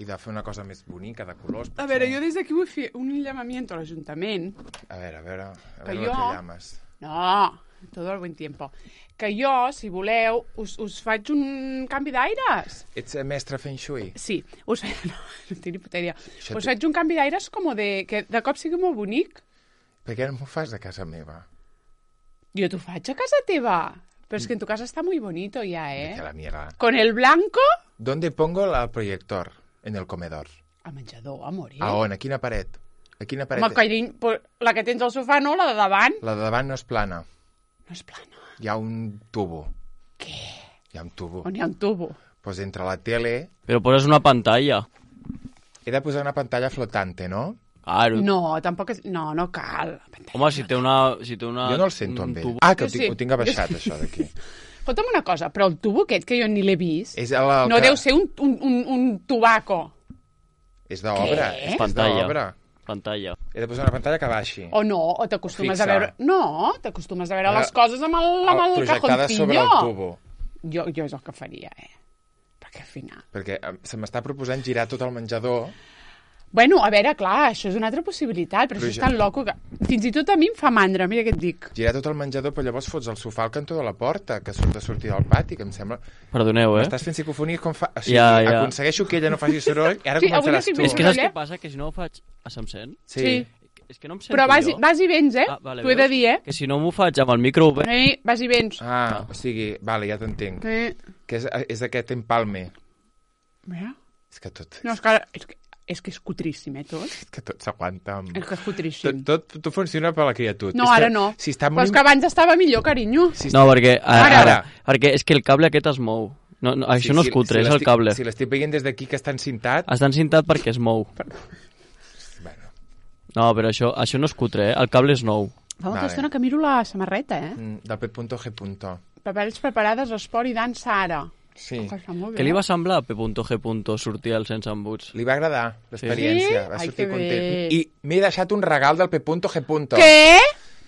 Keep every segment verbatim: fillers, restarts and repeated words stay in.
I de fer una cosa més bonica, de colors. A veure, jo des d'aquí vull fer un llamament a l'Ajuntament. A veure, a veure, a Que veure jo... lo que llames. No, todo el buen tiempo. Que jo, si voleu, us, us faig un canvi d'aires. Ets mestre Feng Shui? Sí, us faig... No, no tinc ni puta idea. Això Us té- faig un canvi d'aires com de... que de cop sigui molt bonic. Per què no m'ho fas a casa meva? Jo t'ho faig a casa teva. Però és que en tu casa està muy bonito ja, eh? Vete a la mierda. Con el blanco... ¿Dónde pongo el proyector? En el comedor. Al menjador, amor, eh? A on? A quina paret? A quina paret? Home, carinyo, pues, la que tens al sofà, no? La de davant. La de davant no és plana. No és plana. Hi ha un tubo. Què? Hi ha un tubo. On hi ha un tubo? Pues entre la tele... Però poses una pantalla. He de posar una pantalla flotante, no? Claro. No, tampoc és... No, no cal. Home, si té una... Si té una Jo no el sento amb ell. tubo- Ah, que ho Jo sí. tinc, ho tinc abaixat, això d'aquí. Escolta'm una cosa, però el tubo aquest, que jo ni l'he vist, És el, el no que... deu ser un, un, un, un tubaco. És d'obra. Què? És, és Pantalla. d'obra. Pantalla. He de posar una pantalla que baixi. O no, o t'acostumes a Fixa. veure... No, t'acostumes a veure Ara, les coses amb el, amb el projectada cajoncillo. sobre el tubo. Jo, jo és el que faria, eh? Perquè al final... Perquè eh, se m'està proposant girar tot el menjador. Bueno, a veure, clar, això és una altra possibilitat, però, Però això és jo- tan loco que... Fins i tot a mi em fa mandra, mira què et dic. Girar tot el menjador, però llavors fots el sofà al cantó de la porta, que surt de sortir del pati, que em sembla... Perdoneu, eh? M'estàs fent psicofonies com fa... O sigui, Ja, ja. aconsegueixo que ella no faci soroll i ara Sí, avui començaràs no estic tu. És que saps eh? què passa? Que si no ho faig... Ah, se'm sent? Sí. Sí. És que no em sento Però vas, i- jo. vas i vens, eh? Ah, vale, T'ho he de veus? dir, eh? Que si no m'ho faig amb el micro obert... Eh, vas i vens. Ah, o sigui, vale, ja t'entenc. Eh. Que és, és aquest empalme. Mira. És que tot... No, és que, és que, és que és cutríssim, eh, tot. És que tot s'aguanta amb... És que és cutríssim. Tot, tot, tot funciona per la criatura. No, és ara que, no. Si està Però molt... és que abans estava millor, carinyo. Si No, perquè... Ara, Ara. ara. Perquè és que el cable aquest es mou. No, no, això no és cutre, és el l'estic- cable. Si l'estic veient des d'aquí que està encintat... Està encintat perquè es mou. Bueno, No, però això, això no és cutre, eh? El cable és nou. Fa molta Vale. estona que miro la samarreta, eh? mm, del P.G. Papers preparades, esport i dansa ara. Sí. Que està molt bé. Què li va semblar a P.G. sortir al sense embuts? Li va agradar l'experiència, Sí? va Ai, sortir que content. bé. I m'he deixat un regal del P.G. Què?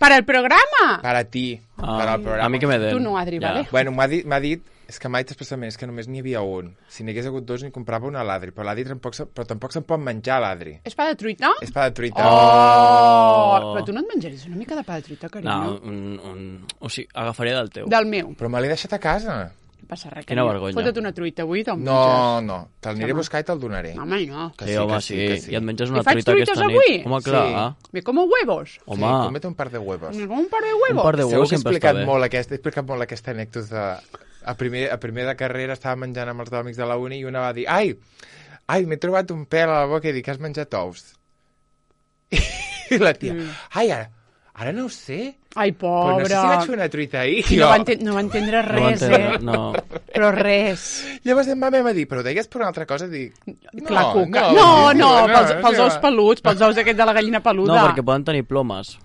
Per al programa? Per a ti, Ah, per al programa. a mi que me den. Tu no, Adri, vale? Bueno, m'ha dit, m'ha dit, és que m'ha dit expressament, és que només n'hi havia un. Si n'hi hagués hagut dos, n'hi comprava un a l'Adri, però l'Adri tampoc, se- però tampoc se'n pot menjar, l'Adri. És pa de truita? És pa de truita. Oh! Però tu no et menjaries una mica de pa de truita, carinyo? No, un, un... O sigui, agafaria del teu. Del meu. Però me l'he deixat a casa. No passa res. Quina carinyo. vergonya. Fota't una truita avui, te'l No, menges. no, te'l aniré a buscar i te'l donaré. Home, no. Que Sí, sí, home, que sí, sí, que sí. I et menges una I faig truita truites aquesta avui? nit. Home, clar. Sí. Me como huevos. Sí, Home, cómete un par de huevos. Me como un par de huevos. un par de Segur huevos que he sempre està explicat bé. molt, aquest, he explicat molt aquesta anècdota. A primer, a primer de carrera estava menjant amb els dos amics de la uni i una va dir ai, ai, m'he trobat un pèl a la boca i dic, has menjat ous? I la tia, Mm. ai, ara, ara no ho sé. Ai, Però no sé pobra. si vaig fer una truita ahir. I jo. no, va enten no va entendre No va res, entendre, eh? no. Però res. Llavors em va, em va dir, però ho deies per una altra cosa? Dic, no, La cuca. no, No, no, no, pels, no, pels no. ous peluts, pels ous aquests de la gallina No, peluda. perquè poden tenir plomes.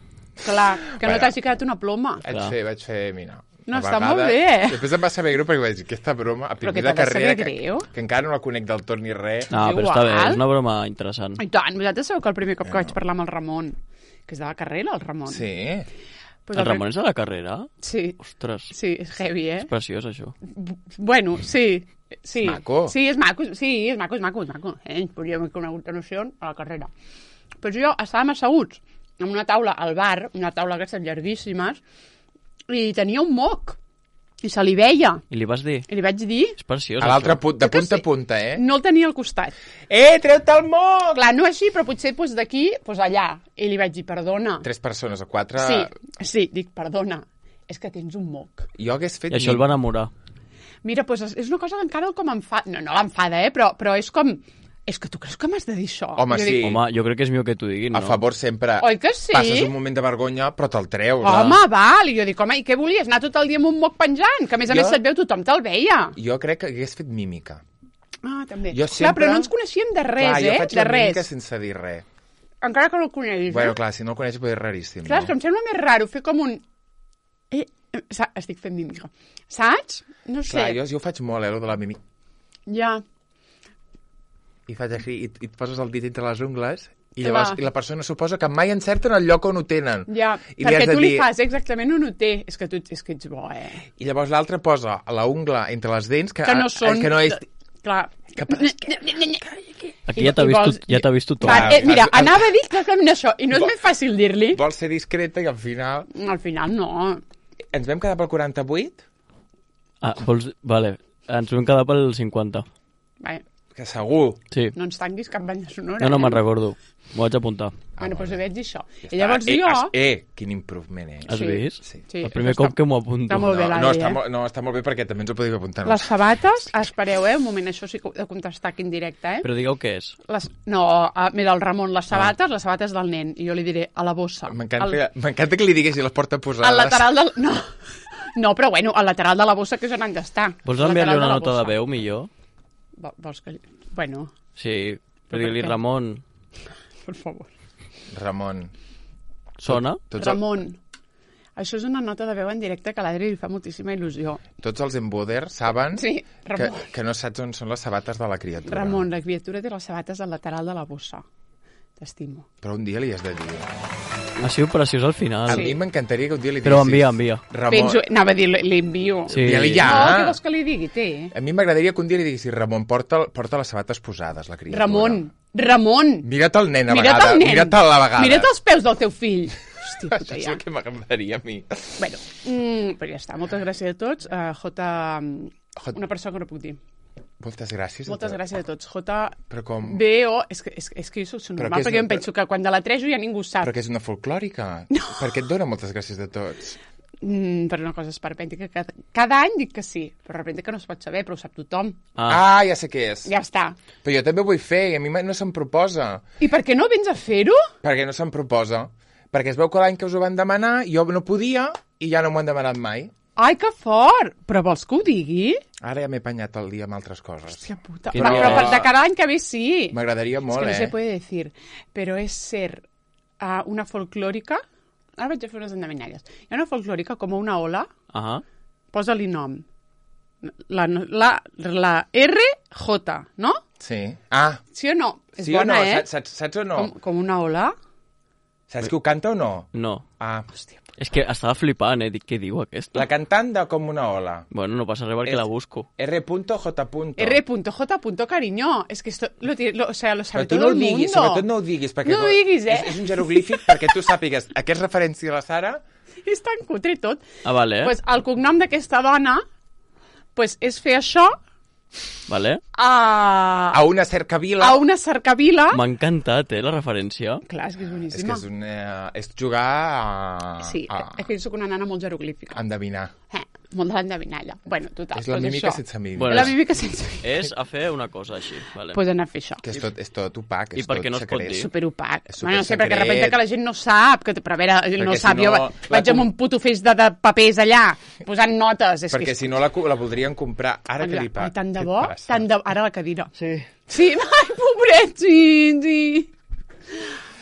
Clar, que no Bueno. t'hagi quedat una ploma. Vaig Clar. fer, vaig fer, mira... No, a està vegades- molt bé. Després em va saber greu perquè vaig dir, aquesta broma, a Però primer que de t'ha de carrera, saber que, greu. que encara no la conec del tot ni res. No, però està bé, Igual. és una broma interessant. I tant, vosaltres sabeu que el primer cop que Bueno. vaig parlar amb el Ramon, que és de la carrera, el Ramon. Sí. Pues El Ramon és de la carrera? Sí, Ostres, sí, és heavy, eh? és preciós, això. Bueno, sí. Sí. És maco. Sí, és maco, sí, és maco, és maco, és maco. Eh? Ens podríem haver conegut a noció a la carrera. Però jo estàvem asseguts en una taula al bar, una taula d'aquestes llarguíssimes, i tenia un moc, i se li veia. I li vas dir? I li vaig dir... És preciós, A l'altre això. punt, de Jo que punta a sí. punta, eh? No el tenia al costat. Eh, treu-te el moc! Clar, no així, però potser doncs, d'aquí, doncs allà. I li vaig dir, perdona. Tres persones o quatre... Sí, sí, dic, perdona, és que tens un moc. Jo hagués fet... I això el va enamorar. Mira, doncs és una cosa que encara el com enfada... No, no l'enfada, eh? Però, però és com... És que tu creus que m'has de dir això? Home, Jo sí. Dic, Home, jo crec que és millor que t'ho diguin, no? A favor sempre. Oi que sí? Passes un moment de vergonya, però te'l treus. Home, val. I jo dic, home, i què volies? Anar tot el dia amb un moc penjant? Que a més a Jo- més se't veu, tothom te'l veia. Jo crec que hagués fet mímica. Ah, també. Jo Clar, sempre- però no ens coneixíem de res, clar, jo eh? faig De la mímica res. sense dir res. Encara que no el coneguis, Bueno, eh? clar, si no el coneixes, pot ser raríssim. Clar, és que no? em sembla més raro fer com un... Eh, eh, sa- estic fent mímica. Saps? No sé. Clar, jo, jo ho faig molt, eh, lo de la mímica. Ja. I faig així, i, i et poses el dit entre les ungles, i Que llavors va. i la persona suposa que mai encerten el lloc on ho tenen. Ja, I li perquè has de tu li dir- fas exactament on ho té. És que tu és que ets bo, eh? I llavors l'altre posa la ungla entre les dents, que, Que no són... que no és... Clar. Que pareix Aquí ja t'ha I vist, vols- tot- ja t'ha vist tothom. Va, eh, mira, has- has- anava a dir exactament això, i no és Vol- més fàcil dir-li. Vols ser discreta i al final... Al final no. Ens vam quedar pel quaranta-vuit? Ah, vols... Vale, ens vam quedar pel cinquanta. Vai, Que segur. Sí. no ens tanquis cap banya sonora. No, no eh? me'n recordo. M'ho vaig apuntar. Bueno, doncs ho vaig dir això. Ja I llavors està. eh, jo... has- Eh, quin improvement, eh? Has Sí. vist? Sí. Sí, El primer està- cop que m'ho apunto. està molt bé, No, l'Adri, no, està eh? molt, no, està molt bé perquè també ens ho podíem apuntar. Les sabates, espereu, eh, un moment, això sí que ho he de contestar aquí en directe, eh? Però digueu què és. Les, no, a, mira, el Ramon, les sabates, les sabates del nen, i jo li diré a la bossa. M'encanta m'encanta que li diguessis les porta posades. Al lateral del... No, no, però bueno, al lateral de la bossa que és on han d'estar. Vols Al enviar-li lateral una la nota bossa. de veu, millor? Vo- Vols que... Bueno, Sí, Però però per dir-li què? Ramon. per favor. Ramon. Sona? Tots, el, Ramon, això és una nota de veu en directe que a l'Adri li fa moltíssima il·lusió. tots els emboders saben Sí, que, Ramon. que no saps on són les sabates de la criatura. Ramon, la criatura té les sabates al lateral de la bossa. T'estimo. Però un dia li has de dir. Ha sigut preciós al A final. Sí. mi m'encantaria que un dia li Però diguessis... envia, envia. Ramon, Penso, anava a dir, li envio. Sí. envia-li ja. No, què vols que li digui? Té. A mi m'agradaria que un dia li diguessis Ramon, porta, porta les sabates posades, la criatura. Ramon, Ramon, Mira't el nen a mira't vegades. el nen. Mira't a la vegada. Mira't els peus del teu fill. Hòstia, Això puta, és ja. el que m'agradaria a mi. Bueno, mm, però ja està. Moltes gràcies a tots. Uh, J... J- Una persona que no puc dir. Moltes gràcies. a Moltes tu. gràcies a tots. J... Però com... B O... És que, és, és que jo soc Però normal, què és- perquè jo em penso que quan de la trejo ja ningú sap. Però que és una folclòrica. No. Perquè et dona moltes gràcies de tots. Mm, però una cosa esperpèntica, que cada, cada any dic que sí, però de repente que no es pot saber, però ho sap tothom. Ah, Ah, ja sé què és. Ja està. Però jo també ho vull fer i a mi no se'm proposa. I per què no vens a fer-ho? Perquè no se'm proposa. Perquè es veu que l'any que us ho van demanar jo no podia i ja no m'ho han demanat mai. Ai, que fort! Però vols que ho digui? Ara ja m'he apanyat el dia amb altres coses. Hòstia puta. Quin Però, però dia? per de cada any que ve sí. M'agradaria Es molt, que no eh? se puede decir. Pero es ser uh, una folclòrica... Ara vaig a fer unes endevinalles. Hi ha una folclòrica com una ola, ahà. posa-li nom. La, la, la R J, no? Sí. Ah, Sí o no? És sí bona, o no? eh? Saps, saps, saps o no? Com, com una ola. Saps que ho canta o no? No. Ah, Hòstia, És que estava flipant, eh? Dic, què diu aquesta? la cantant de Com una ola. Bueno, no passa res perquè És- la busco. R J. R J. cariño. Es que esto lo, tiene- lo, o sea, lo sabe Però tu todo no ho el mundo. diguis, sobretot no ho diguis. Perquè No ho diguis, eh? És, és un jeroglífic perquè tu sàpigues a què és referència la Sara. És tan cutre tot. Ah, vale, eh? Pues el cognom d'aquesta dona pues, és fer això Vale. a, A una cercavila. a una cercavila. M'ha encantat, eh, la referència. Clar, és que és És boníssima. que és, un, eh, és jugar a, Sí, a, és que jo soc una nana molt jeroglífica. a endevinar. Eh, molt de l'endevinalla. Bueno, total, És la pues mímica això. sense mímica. Bueno, la és- mímica sense És a fer una cosa així, vale. pues anar a fer això. Que és tot, és tot opac, I és per tot què no es pot secret. dir? Superopac. És Bueno, no sé, perquè de supersecret. repente que la gent no sap, que, però a veure, no si sap, no, jo la vaig amb com- un puto feix de, de papers allà, posant notes. És Perquè que és... si no la, la voldrien comprar. Ara que li pa... Ai, tant de què bo, passa? tant de... Ara la cadira. Sí. Sí, ai, pobret, sí, sí.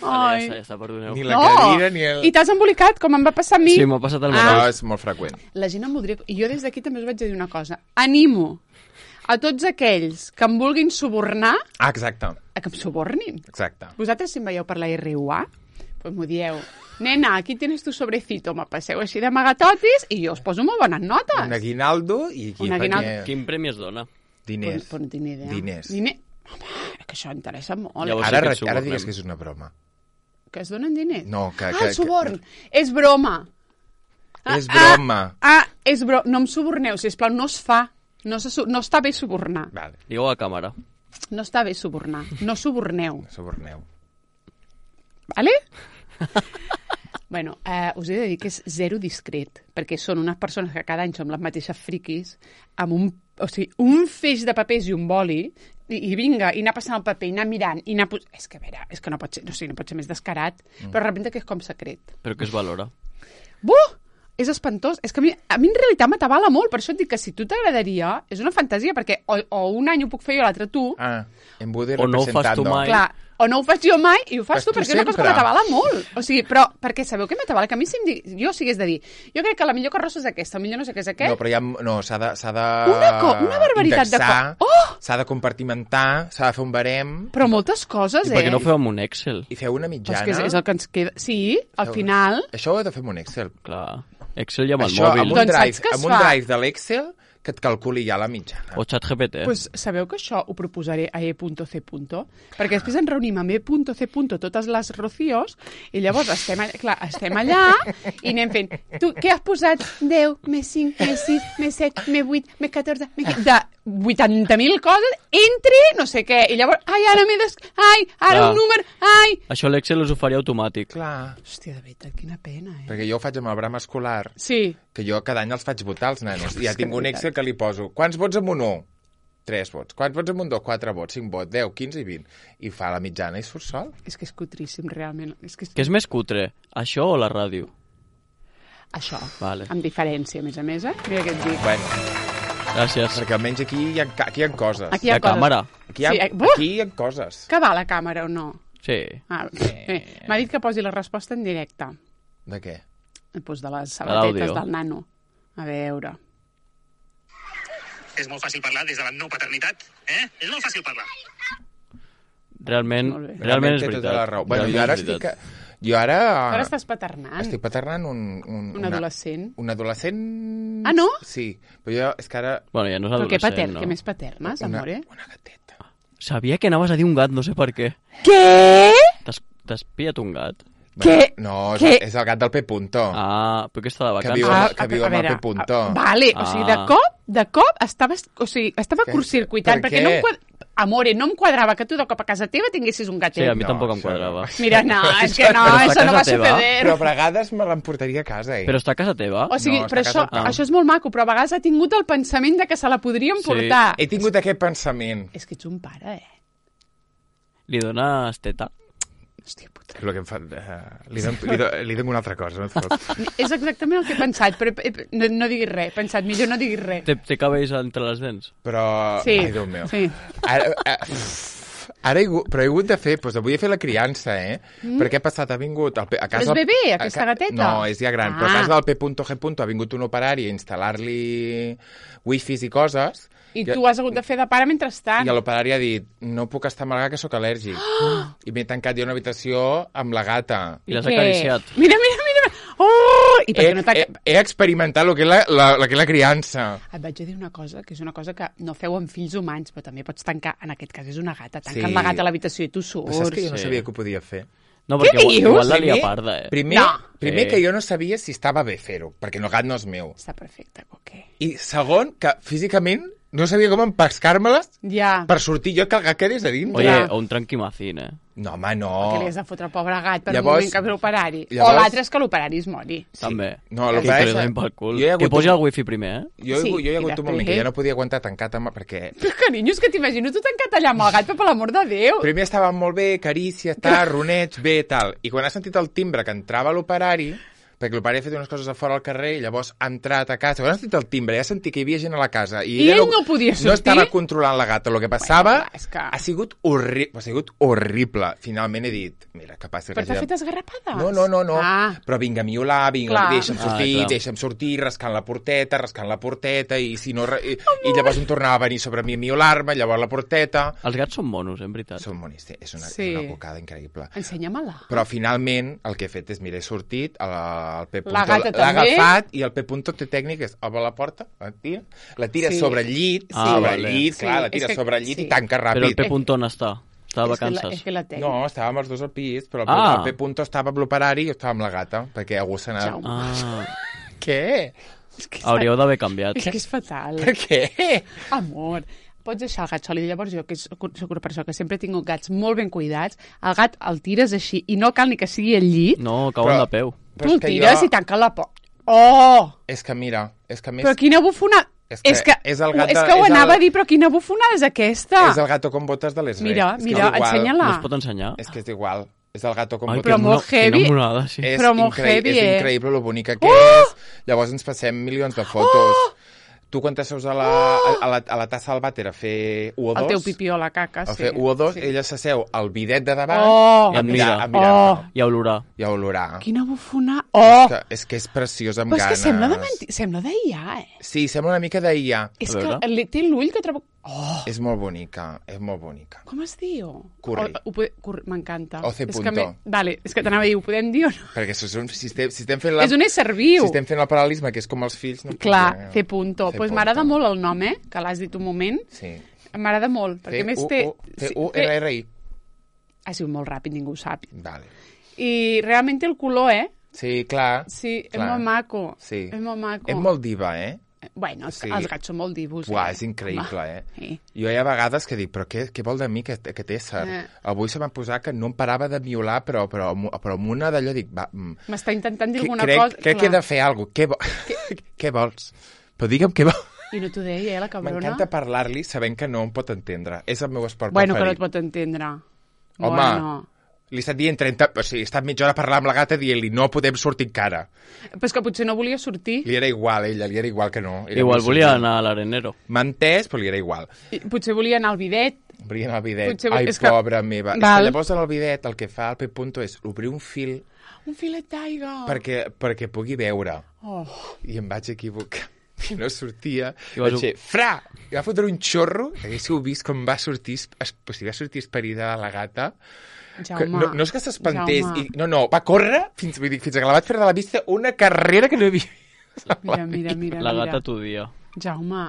Vale, Ai. ja està, ja està, perdoneu. Ni la cadira ni el... I t'has embolicat, com em va passar a mi. Sí, m'ha passat el Ah. mateix. No, és molt freqüent. La gent em voldria... I jo des d'aquí també us vaig a dir una cosa. Animo a tots aquells que em vulguin subornar Ah, exacte, a que em subornin. exacte. Vosaltres, si em veieu per la R U A, pues m'ho dieu. Nena, aquí tienes tu sobrecito. Me passeu així d'amagatotis i jo us poso molt bones notes. Un aguinaldo i aquí Un aguinaldo. perquè- Quin premi es dona? diners. Pues, pues no tinc ni idea. Diners. Diner... Home, és que això interessa molt. Llavors- Ara, sí que re- et subornem. ara digues que és una broma. Que es donen diners? No, que- Ah, que- el suborn. És broma. Ah, És broma. Ah, ah, és broma. No em suborneu, sisplau, no es fa. No, se, su- no està bé subornar. Vale, Digueu a càmera. No està bé subornar. No suborneu. suborneu. Vale? Bueno, eh, us he de dir que és zero discret, perquè són unes persones que cada any som les mateixes friquis, amb un, o sigui, un feix de papers i un boli, i, i vinga, i anar passant el paper, i anar mirant, i anar... Pos... És que, a veure, és que no pot ser, no, o sigui, no pot ser més descarat, mm. però de repente que és com secret. Però que es valora. Buh! És espantós. És que a mi, a mi en realitat m'atabala molt, per això et dic que si tu t'agradaria, és una fantasia, perquè o, o un any ho puc fer jo, l'altre tu, Ah, embudir O no ho fas tu representando. mai. clar, o no ho faig jo mai i ho fas Fas tu, tu perquè és una cosa que sempre. m'atabala molt. O sigui, però, perquè sabeu què m'atabala? Que a mi si em di... jo si hagués de dir, jo crec que la millor carrossa és aquesta, el millor no sé què és aquest, No, però ja... No, s'ha de... S'ha de Una co- una barbaritat de indexar, co- Oh! S'ha de compartimentar, s'ha de fer un barem però moltes coses, I eh? per què no feu amb un Excel? i fer una Però mitjana. és que és, és el que ens queda... Sí, al Feu- final... Això ho he de fer amb un Excel. Clar. Excel i amb el Això, mòbil. amb un Doncs saps drive, què es amb un fa? drive de l'Excel, que et calculi ja la mitjana. O ChatGPT. Pues sabeu que això ho proposaré a e punto ce punto? Perquè després ens reunim amb e punto ce punto totes les Rocíos i llavors estem, allà, clar, estem allà i anem fent, tu què has posat? deu, més cinc, més sis, més set, més vuit, més catorze, més quinze... De vuitanta mil coses, entre no sé què. I llavors, ai, ara m'he des... Ai, ara Clar. un número, ai... Això l'Excel us ho faria automàtic. Clar, Hòstia, de veritat, quina pena, eh? perquè jo ho faig amb el bram escolar, Sí. que jo cada any els faig votar als nanos. I ja És que tinc un de Excel que li poso quants vots amb un u? tres vots. Quants vots amb un dos? quatre vots. cinc vots. deu, quinze i vint. I fa la mitjana i surt sol. És que és cutríssim, realment. És que és... Què és més cutre, això o la ràdio? Això, Vale. amb diferència, a més a més, eh? Mira què et dic. Bueno, Gràcies. perquè almenys aquí hi ha, ca- aquí hi ha coses. Aquí hi ha La coses. càmera. Aquí hi ha, Sí, eh, buh! aquí hi ha coses. Que va la càmera o no? Sí. Ah, bé. M'ha dit que posi la resposta en directe. De què? Pues de les sabatetes l'àudio. del nano. A veure. És molt fàcil parlar des de la no paternitat, eh? És molt fàcil parlar. Realment, Molt bé. realment és té veritat. tota la raó. Bueno, jo Realment ara és estic... veritat. Jo ara... Ara estàs paternant. Estic paternant un... Un, Un adolescent. Un adolescent... Ah, no? Sí, però jo és que ara... Bueno, ja no és Però què, adolescent, pater, no? què més paternes, Una, amore? una gateta. Sabia que anaves a dir un gat, no sé per què. Què? T'has t'has pillat un gat? Què? Bueno, no, és, Què? és el gat del P. Punto. Ah, però que està de Que vacances. viu amb- que viu a amb el veure, P. Punto. a- Vale, o sigui, de Ah. cop, de cop, estava, o sigui, estava Que- curtcircuitant, per perquè què? no em quad... Amore, no em quadrava que tu de cop a casa teva tinguessis un Sí, gatet. a mi No, tampoc em això quadrava. no. Mira, no, és que no, Però està a això no va casa teva. suceder. Però a vegades me l'emportaria a casa, eh? Però està a casa teva? O sigui, No, però està a això, casa teva. això és molt maco, però a vegades ha tingut el pensament de que se la podríem Sí. portar. He tingut aquest pensament. És que ets un pare, eh? Li dones teta? Hòstia puta. És el que em fa... Uh, li, dono, li, do, li dono una altra cosa. No et fot. És exactament el que he pensat, però he, he, no, no diguis res. He pensat, millor no diguis res. Té, té cabells entre les dents? Però... Sí, Ai, Déu meu. sí. Ara, uh, ara he, hagut- però he hagut de fer... Doncs avui he fet la criança, eh? Mm. Perquè ha passat, ha vingut... Al, P- a casa Però és del- bebè, a aquesta ca- gateta? No, és ja gran. Ah. Però a Ah. casa del P. G. ha vingut un operari a instal·lar-li wifis i coses... I tu has hagut de fer de pare mentrestant. I l'operari ha dit, no puc estar amb el gat, que sóc al·lèrgic. Oh! I m'he tancat jo a una habitació amb la gata. I l'has Què? acariciat? Mira, mira, mira. Oh! I per He, què no t'ha... he, he experimentat el que és la, la, la, que és la criança. Et vaig a dir una cosa, que és una cosa que no feu amb fills humans, però també pots tancar, en aquest cas és una gata, tanquen Sí. la gata a l'habitació i tu surts. Però saps que jo no Sí. sabia que ho podia fer? No, Què perquè igual, dius? igual la lia parda, eh? Primer, No. primer Sí. que jo no sabia si estava bé fer-ho, perquè el gat no és meu. Està perfecte, ok. I segon, que físicament no sabia com empescar-me-les Ja. per sortir jo que el gat quedés a dintre. Oye, Ja. o un tranquimacín, eh? No, home, no. Que li has de fotre al pobre gat per Llavors- un moment que ve l'operari. llavors- O l'altre és que l'operari es mori. Sí. També. No, que el que li passa- donin pel cul. jo he hagut Que posi un- el wifi primer, eh? Jo, Sí, jo hi ha i hagut un moment després- que ja no podia aguantar tancat amb... perquè Però, carinyo, és que t'imagino tu tancat allà amb el gat, però per l'amor de Déu. primer estava molt bé, carícia, tal, roneig, bé, tal. I quan ha sentit el timbre que entrava l'operari, perquè l'operari ha fet unes coses a fora al carrer i llavors ha entrat a casa. Quan ha sentit el timbre, ja ha sentit que hi havia gent a la casa. I, I ella ell no podia No sortir? estava controlant la gata. El que passava Bueno, és que- ha sigut horrible. Ha sigut horrible. Finalment he dit, mira, que passi... Però que t'ha hagi- fet esgarrapades? No, no, no, no. Ah. Però vinga a miolar, vinga, Clar. deixa'm Ah, sortir, clar. deixa'm sortir, rascant la porteta, rascant la porteta, i si no... re- I, i llavors em tornava a venir sobre mi a miolar-me, llavors la porteta... Els gats són monos, eh, en veritat. Són bonis, és una, Sí. és una bocada increïble. Ensenya-me-la. Però finalment el que he fet és, mira, he sortit, el, el P. La gata l'ha també? agafat i el P. té tècnic és obre la porta, la tira, la tira Sí. sobre el llit, Ah, sobre vale. el llit, Sí, clar, la és tira que- sobre el llit sí. i tanca Però el ràpid. P. on està? Està de És que la- vacances. És que la tenc. No, estàvem els dos al pis, però el, Ah. el P. estava amb l'operari i jo estava amb la gata, perquè algú se n'ha... Jaume. Ah, Què? És que és hauríeu d'haver canviat. És que és fatal. Per què? Amor, pots deixar el gat sol i llavors jo, que soc una persona que sempre he tingut gats molt ben cuidats, el gat el tires així i no cal ni que sigui al llit, No, cauen Però- de peu. tu el és que tires jo- i tanca la porta. Oh! És que mira, és que a més... Però quina bufona... És que és que, és el gat de- és que ho és el- anava a dir, però quina bufonada és aquesta? És el gato con botes de les Mira, és que mira, és igual. ensenya-la. No es pot ensenyar? És que és igual. És el gato con Ai, botes. Però que molt mono- heavy. Quina monada, sí. És, Però molt increï- heavy, és eh? increïble lo bonica que és. Llavors ens passem milions de fotos. Tu quan t'asseus a, la, a, a, la, a la tassa del vàter a fer u o dos... El teu pipí o la caca, A sí. fer u o dos, sí. ella s'asseu al bidet de davant Oh! a I et mirar, mira. a mirar Oh! I a olorar. i a olorar. Quina bufona... Oh! És que, és que és preciós amb Però és que ganes. sembla de menti... Sembla d'I A, eh? Sí, sembla una mica d'I A. És A veure. que li- té l'ull que trobo... Oh! És molt bonica, és molt bonica. Com es diu? Curri. O, ho pode... Curri. M'encanta. O C És punto. que me... Vale, és que t'anava a dir, ho podem dir o no? Perquè si, som, si, estem, si estem fent la... És un ésser viu. Si estem fent el paral·lelisme, que és com els fills... No Clar, podem. C punto. Doncs pues m'agrada molt el nom, eh? Que l'has dit un moment. Sí. M'agrada molt, perquè a més té... C U R R I. Ha sigut molt ràpid, ningú ho sap. Vale. I realment té el color, eh? Sí, clar. Sí, clar. és molt maco. Sí. És molt maco. És molt diva, eh? Bueno, Sí. els gats són molt divos. Uah, eh? és increïble, Home, eh? Sí. Jo hi ha vegades que dic, però què, què vol de mi aquest, aquest ésser? Eh. Avui se m'ha posat que no em parava de miolar, però, però, però amb una d'allò dic, va... mm, M'està intentant dir que- alguna crec, cosa. Crec que he de fer alguna cosa. Què, vo... què vols? Però digue'm què vols. I no t'ho deia, eh, la cabrona? M'encanta parlar-li sabent que no em pot entendre. És el meu esport Bueno, que no preferit. et pot entendre. Home, Bueno. li he estat dient trenta... O sigui, he estat mitja hora parlant amb la gata dient-li no podem sortir encara. Però és que potser no volia sortir. Li era igual, ella, li era igual que no. Era Igual molt volia senzill. anar a l'arenero. M'ha entès, però li era igual. I potser volia anar al bidet. Obria el bidet. Potser- Ai, és que- pobra meva. És Val. que llavors en el bidet el que fa el P. Punto és obrir un fil Un filet d'aigua. perquè, perquè pugui veure. Oh. I em vaig equivocar. I no sortia. I vas- Vaig dir, fra! I va fotre un xorro. Haguéssiu vist com va sortir, es, o sigui, va sortir esperida la gata. Que Jaume. no, no és que s'espantés. Jaume. I, no, no, va córrer fins, vull dir, fins que la vaig fer de la vista una carrera que no havia vist. Mira, mira, mira. La mira. gata t'odia. Jaume.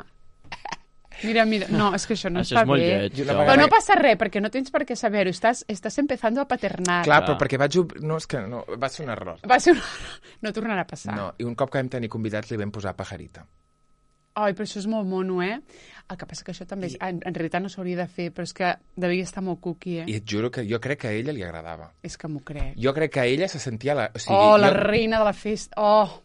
Mira, mira. No, és que això no Això està és molt bé. lleig. I una Jaume. Però vegada- no passa res, perquè no tens per què saber-ho. Estàs, estàs empezando a paternar. Clar, Clar. però perquè vaig... ob- No, és que no, va ser un error. Va ser una... No tornarà a passar. No, i un cop que vam tenir convidats li vam posar pajarita. Ai, però això és molt mono, eh? El que passa que això també, és, en, en realitat no s'hauria de fer, però és que devia estar molt cookie, eh? I et juro que jo crec que a ella li agradava. És que m'ho crec. Jo crec que ella se sentia la... O sigui, Oh, la jo... reina de la festa. Oh!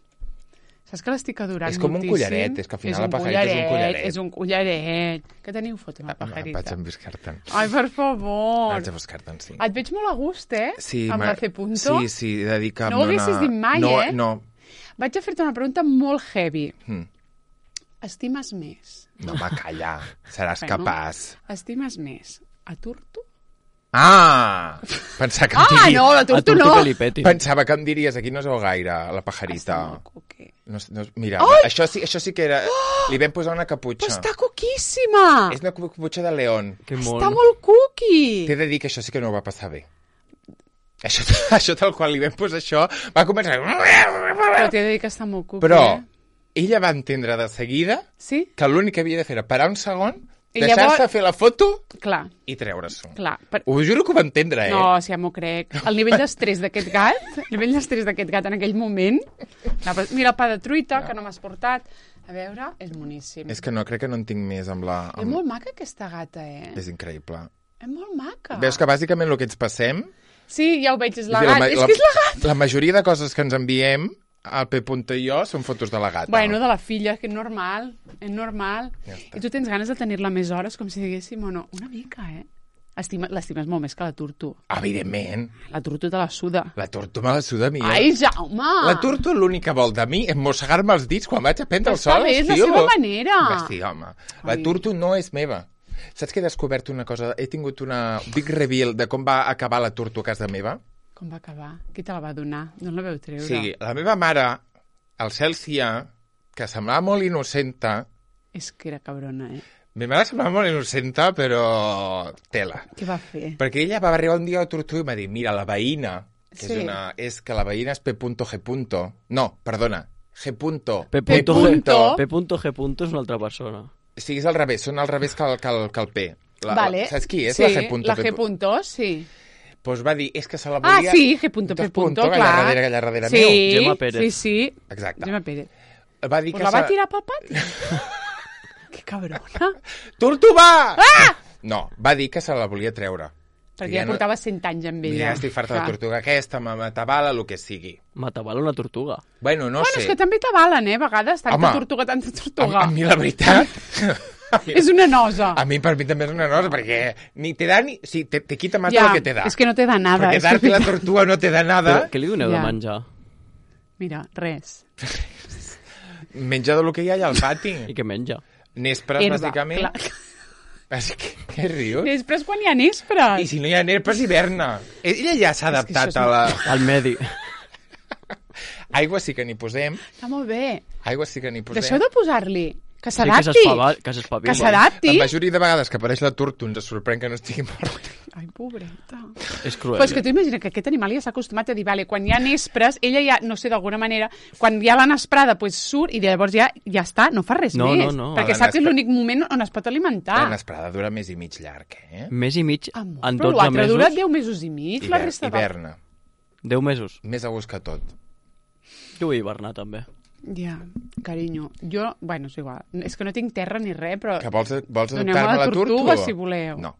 Saps que l'estic adorant És com un moltíssim? collaret, és que al final la pajarita és un collaret. És un collaret. Que teniu foto amb la No, pajarita? vaig a buscar-te'n. Ai, per favor. Vaig a buscar-te'n, sí. Et veig molt a gust, eh? Sí, amb m'ha- la C punto. Sí, sí, he de dir que... No ho em dona- haguessis dit mai, no, eh? No, Vaig a fer-te una pregunta molt heavy. Hm. Estimes més? no, va, calla. Seràs Bueno. capaç. Estimes més a Turto? Ah! Pensava que em Ah, diries... no, la A Turto tu no! que li peti. Pensava que em diries, aquí no es veu gaire, la Està pajarita. molt cookie. No, no, mira, això sí, això sí que era... Li vam posar una caputxa. Però està coquíssima! És una caputxa de león. Que Està mono. molt cookie! T'he de dir que això sí que no ho va passar bé. Això, això tal qual li vam posar això, va començar... Però t'he de dir que està molt cookie, Però eh? ella va entendre de seguida Sí? que l'únic que havia de fer era parar un segon, I deixar-se llavors- fer la foto Clar, i treure-s'ho. clar. Per... Ho juro que ho va entendre, eh? No, sí, ja m'ho crec. El nivell d'estrès d'aquest gat, el nivell d'estrès d'aquest gat en aquell moment... No, però mira el pa de truita, que no m'has portat. A veure, és boníssim. És que no, crec que no en tinc més amb la... És Amb... molt maca aquesta gata, eh? És increïble. És molt maca. Veus que bàsicament el que ens passem... Sí, ja ho veig, és la és a dir, gata. ma- És que és la gata! La majoria de coses que ens enviem, el P. i jo, són fotos de la gata. Bueno, de la filla, que és normal, és normal. Ja està. I tu tens ganes de tenir-la més hores, com si diguéssim, o no? Una mica, eh? Estima, l'estimes molt més que la Turto. Evidentment. La Turto te la suda. La Turto me la suda a mi. eh? Ai, Jaume! La Turto l'únic que vol de mi és mossegar-me els dits quan vaig a prendre el Està sol. bé, és la tio. seva manera. Va, sí, home. La Ai. Turto no és meva. Saps que he descobert una cosa? He tingut una big reveal de com va acabar la Turto a casa meva. Com va acabar? Qui te la va donar? D'on la veu O treure? sigui, la meva mare, el cel s'hi ha, que semblava molt innocenta. És que era cabrona, eh? Ma mare semblava molt innocenta, però tela. Què va fer? Perquè ella va arribar un dia a Turto i em va dir, mira, la veïna, que Sí. és una... És que la veïna és P. G. No, perdona, G. P. P. G. P. G. és una altra persona. O sigui, és al revés, són al revés que el, que el, que el P. La, Vale. Saps qui és? Sí, La G. la G. Punto, sí. Doncs va dir, és que se la Ah, volia... sí, G. Punto, P. Dos Punto, punto, clar. allà darrere, allà darrere sí, meu. Gemma Pérez. Sí, sí. Exacte. Gemma Pérez. Va dir Pues que la va se- tirar pel pati. Que cabrona. Turto, va! Ah! No, va dir que se la volia treure. Perquè ja portava cent anys amb ella. Mira, ja estic farta de la Clar. tortuga aquesta, ma matabala, el que sigui. Matabala una tortuga. Bueno, no Bueno, sé. és que també t'avalen, eh, a vegades. Tanta Home, tortuga, tanta A, tortuga. a mi la veritat... a mi, És una nosa. a mi per mi també és una nosa, perquè ni te da ni... Sí, te, te quita más Ja, de lo que te da. és que no te da nada. Perquè és dar-te la veritat. tortuga no te da nada. Però què li doneu Ja. de menjar? Mira, res. Menja del que hi ha allà al pati. I què menja? Nespres, Herba, bàsicament. clar. Així que, què rius? Després quan hi ha nespres. I si no hi ha nespres, hiverna. Ella ja s'ha És que això adaptat és a la... Al medi. Aigua sí que n'hi posem. Està molt bé. Aigua sí que n'hi posem. Deixeu de posar-li Que Sí, s'adapti. que s'espava- que s'espavili. Que s'adapti. La majoria de vegades que apareix la Turtu ens sorprèn que no estigui mort. Ai, pobreta. És cruel. Però és que tu imagina que aquest animal ja s'ha acostumat a dir, vale, quan hi ha nespres, ella ja, no sé, d'alguna manera, quan hi ha la nesprada, pues surt i llavors ja ja està, no fa res No, més. no, no. Perquè La sap que és nespra- l'únic moment on es pot alimentar. La nesprada dura més i mig llarg, eh? Més i mig, Amor, en però dotze l'altre mesos... dura deu mesos i mig, la Hiver, resta de... hiverna. deu mesos. Més a gust que tot. Jo vull hivernar, també. Ja, carinyo. Jo, bueno, és igual. És que no tinc terra ni res, però... Que vols, vols Doneu-me adoptar-me la la Turtu? tortuga, si voleu. No.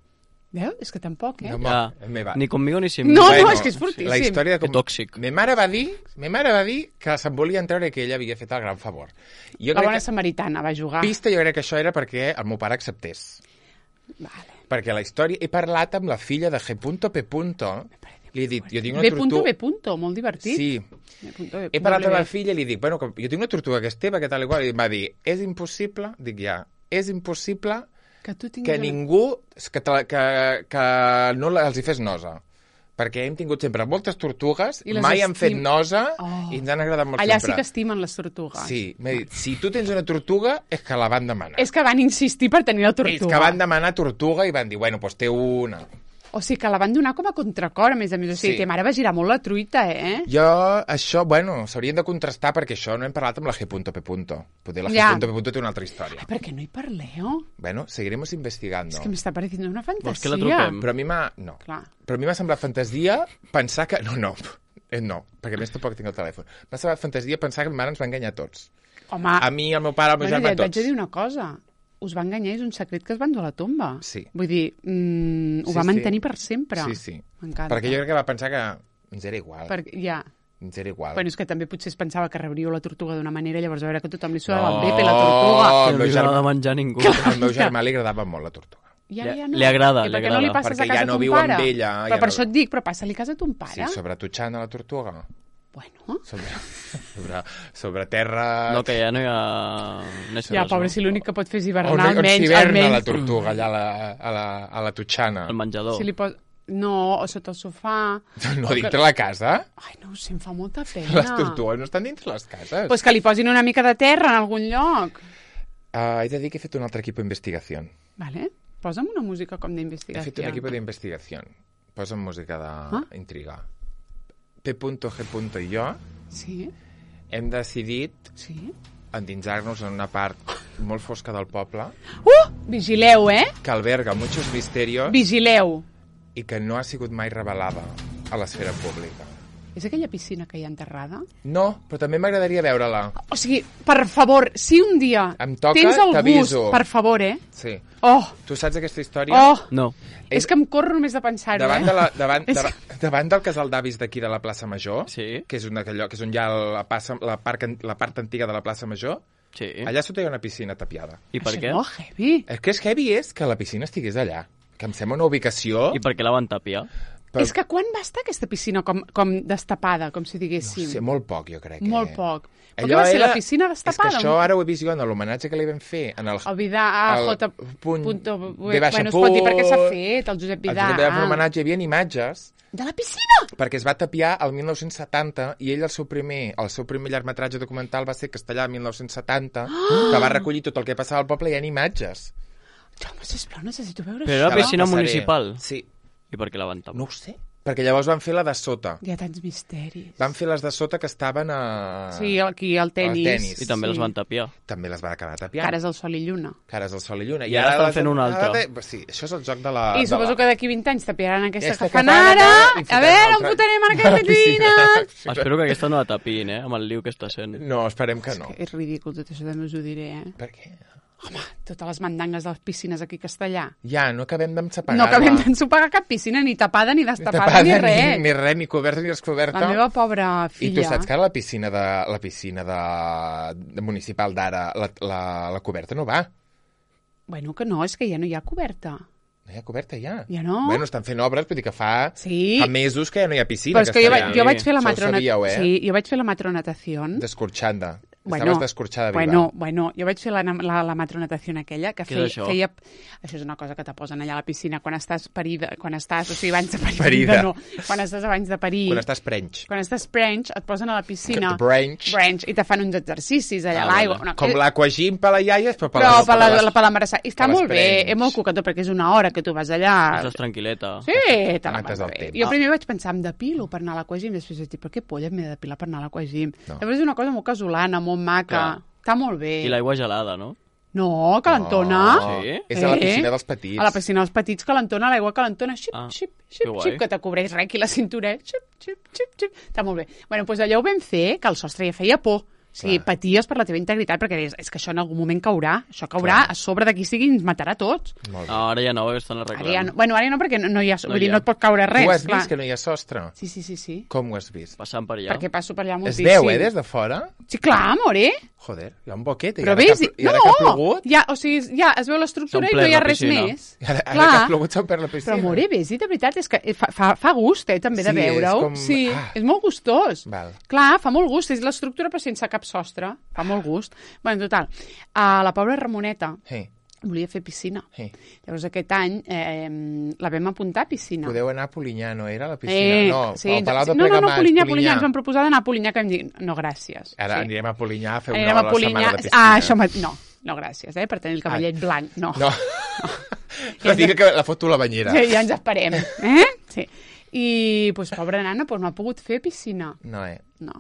Veus? És que tampoc, eh? No, Ja. me va. Ni conmigo ni sin No, mi. no, és que és fortíssim. La història de com... Que tòxic. Me mare va dir, me mare va dir que se'n volien treure que ella havia fet el gran favor. Jo La crec bona que, samaritana va jugar. pista, jo crec que això era perquè el meu pare acceptés. Vale. Perquè la història... He parlat amb la filla de G. P. Li he dit, jo tinc una B. tortuga... B. punto, molt divertit. Sí. B. B. He parlat amb W. la filla i li dic, bueno, com- jo tinc una tortuga que és teva, que tal i qual, i em va dir, és impossible, dic ja, és impossible Que tu tinguis... que ningú, que, te la- que, que no la- els hi fes nosa. Perquè hem tingut sempre moltes tortugues, I les mai han fet estim- nosa Oh. i ens han agradat molt Allà sempre. sí que estimen les tortugues. Sí, m'ha dit, si tu tens una tortuga, és que la van demanar. És que van insistir per tenir la tortuga. Ells que van demanar tortuga i van dir, bueno, doncs té una. O sigui, que la van donar com a contracor, a més a més. O sigui, Sí. que mare va girar molt la truita, eh? Jo, això, bueno, s'haurien de contrastar perquè això no hem parlat amb la G. P. Poder la Ja. G. P. té una altra història. Ai, per què no hi parleu? Bueno, seguiremos investigando. És que m'està pareciendo una fantasia. Vols que la truquem? Però a mi m'ha... No. Clar. Però a mi m'ha semblat fantasia pensar que... No, no. Eh, no, perquè a més tampoc tinc el telèfon. M'ha semblat fantasia pensar que el mare ens va enganyar a tots. Home, A mi, al meu pare, al meu bueno, germà, ja a et vaig tots. a dir una cosa. Us va enganyar, és un secret que es van dur a la tomba. Sí. Vull dir, mm, ho Sí, va sí. mantenir per sempre. Sí, sí. M'encanta. Perquè jo crec que va pensar que ens era igual. Perquè, ja. Ens era igual. Bueno, és que també potser es pensava que rebríeu la tortuga d'una manera, llavors a veure que tothom li No. suava el bepe, la tortuga. Oh, Que el no meu li agrada germà- menjar ningú. Al meu germà li agradava molt la tortuga. I ara Li- ja no. li agrada, I li per què no li agrada. passes Perquè a casa ja no ton viu amb pare? ella, Però ja per no- això et dic, però passa-li a casa a ton Sí, pare. sobre Tutxana, la tortuga. Bueno, Sobre, sobre, sobre terra... No, que ja no hi ha... nespres, ja, pobre, no? si l'únic que pot fer és On, hivernar, on almenys, s'hiverna almenys... la tortuga, allà a la, a la, a la Tutxana. El menjador. Si li pos... No, o sota el sofà... No, dintre la casa? Ai, no ho sé, em fa molta pena. Les tortugues no estan dintre les cases. Pues que li posin una mica de terra en algun lloc. Uh, he de dir que he fet un altre equip d'investigació. Vale? Posa'm una música com He d'investigació. fet un equip d'investigació. Posa'm música d'intriga. Ah? P. G. i jo Sí, hem decidit sí. endinsar-nos en una part molt fosca del poble Uh! Vigileu, eh? que alberga muchos misterios Vigileu. i que no ha sigut mai revelada a l'esfera pública. És aquella piscina que hi ha enterrada? No, però també m'agradaria veure-la. O sigui, per favor, si un dia Em toca, tens el gust, t'aviso. per favor, eh? Sí. Oh, Tu saps aquesta història? oh, No. és que em corro només de pensar-ho, Davant, eh? de la, davant, És davant, davant del casal d'avis d'aquí de la plaça Major, Sí. que és, una, allò, que és on hi ha la, passa, la, part, la part antiga de la plaça Major, Sí. allà sota hi ha una piscina tapiada. I per Això què? no, heavy. El que és heavy és que la piscina estigués allà, que em sembla una ubicació... I per què la van tapiar? Però, És que quan va estar aquesta piscina com, com destapada, com si no diguéssim? sé, molt poc, jo crec. Molt eh? poc. Però Allò què va ser, era- la piscina destapada? És que això ara ho he vist jo en l'homenatge que li vam fer. En el, El Vidal, ah, el J. punt Punto, V baixa bueno, es pot dir punt, perquè s'ha fet, el Josep el Vidal. Josep Vidal l'homenatge, hi havia imatges De la piscina? perquè es va tapiar el mil nou-cents setanta i ell el seu primer, el seu primer llargmetratge documental va ser Castellà mil nou-cents setanta, que va recollir tot el que passava al poble i hi ha imatges. Jaume, sisplau, necessito veure Però era això. Te la piscina passaré. municipal. Sí. I per què la van tapar? No ho sé. Perquè llavors van fer la de sota. Hi ha tants misteris. Van fer les de sota que estaven a... Sí, aquí al tenis. tenis. I també sí. les van tapiar. També les van acabar tapiant. Cares al sol i lluna. Cares al sol i lluna. I ara estan les- fent una altra. ara de- Sí, això és el joc de la... I de suposo la... que d'aquí vint anys tapiaran aquesta, Aquesta que fan que fan ara. ara, i A fotrem veure, on l'altra. fotrem en aquesta piscina? Sí, Espero que aquesta no la tapin, eh? Amb el liu que està sent. No, esperem que no. És ridícul, tot això també us ho diré, eh? Per què? Home, totes les mandangues de les piscines aquí a Castellà. Ja, no acabem d'encepagar. No acabem d'ensopagar cap piscina, ni tapada, ni destapada, ni res. Ni, ni res, ni coberta, ni descoberta. La meva pobra I filla... tu saps que ara la piscina de la piscina de, de municipal d'ara, la, la, la coberta no va. Bueno, que no, és que ja no hi ha coberta. No hi ha coberta, ja. Ja no? Bueno, estan fent obres, vull dir que fa, Sí. fa mesos que ja no hi ha piscina. Però és que jo, Castellà. vaig, jo vaig fer la Això ho matrona... sabíeu, eh? Sí, jo vaig fer la matronatació. D'escorxanda. Estaves d'escorxada viva. Bueno, bueno, jo vaig fer la, la, la matronatació aquella que Què feia, és això? feia... Això és una cosa que te posen allà a la piscina quan estàs parida, quan estàs, o sigui, abans de parir, Parida. no, quan estàs abans de parir, Quan estàs prenys. quan estàs prenys, et posen a la piscina, Branch. branch, i te fan uns exercicis allà Ah, a l'aigua. vale. Una... Com l'aquagym per la iaia, però per Però les, per la, les- la, per l'embarassada. I està per les molt bé, prenys. és molt cocató, perquè és una hora que tu vas allà... Estàs tranquil·leta. Sí, te la Mates vas el bé. temps. Jo primer vaig pensar, em depilo per anar a l'aquagym, després vaig dir, per què polla m'he de depilar per anar a l'aquagym? No. Llavors és una cosa molt casolana, molt maca, Clar. està molt bé. I l'aigua gelada, no? No, calentona. No, Sí? és a la Eh? piscina dels petits. A la piscina dels petits, calentona, l'aigua calentona, xip, Ah, xip, que xip, guai. xip, que te cobreix res aquí la cintura, xip, xip, xip, xip. Està molt bé. Bueno, doncs allò ho vam fer, que el sostre ja feia por. O sigui, Clar. paties per la teva integritat, perquè deies, és que això en algun moment caurà, això caurà Clar. a sobre de qui sigui i ens matarà a tots. Molt bé. No, ara ja no, perquè estan Ara arreglant. ja no, bueno, ara ja no, perquè no, no hi ha, No vull dir, hi ha. no et pot caure res. Tu has clar. vist que no hi ha sostre? Sí, sí, sí, sí. Com ho has vist? Passant per allà. Perquè passo per allà Es moltíssim. veu, eh, des de fora? Sí, clar, amore. Joder, hi ha un boquet. I Però ara ves, que ha, pl- i ara no, que ha plogut... ja, o sigui, ja es veu l'estructura i S'ha no hi ha omplert la res piscina. més. I ara, ara Clar. que ha plogut s'ha omplert la piscina. Però, amore, ves, i de veritat és que fa, fa, fa gust, eh, també, de Sí, és veure-ho. com- Sí, ah. és molt gustós. Val. Clar, fa molt gust, és l'estructura però sense cap sostre. Fa molt gust. Bueno, total, a la pobra Ramoneta Sí, volia fer piscina. sí. Llavors aquest any eh, la vam apuntar a piscina. Podeu anar a Polinyà, no era, a la piscina? Eh, no, sí, al Palau de no, no, no, Plegamans, Polinyà, Polinyà, ens van proposar d'anar a Polinyà, que em dic, no, gràcies. Ara sí. anirem a Polinyà a fer una Anirem hora a a la Polinyà. setmana de piscina. Ah, això ma... no, no, gràcies, eh, per tenir el cavallet blanc, no. No. no digui que la foto a la banyera. Sí, ja ens esperem, eh? Sí. I, doncs, pobra nana, doncs no ha pogut fer piscina. No, eh? No,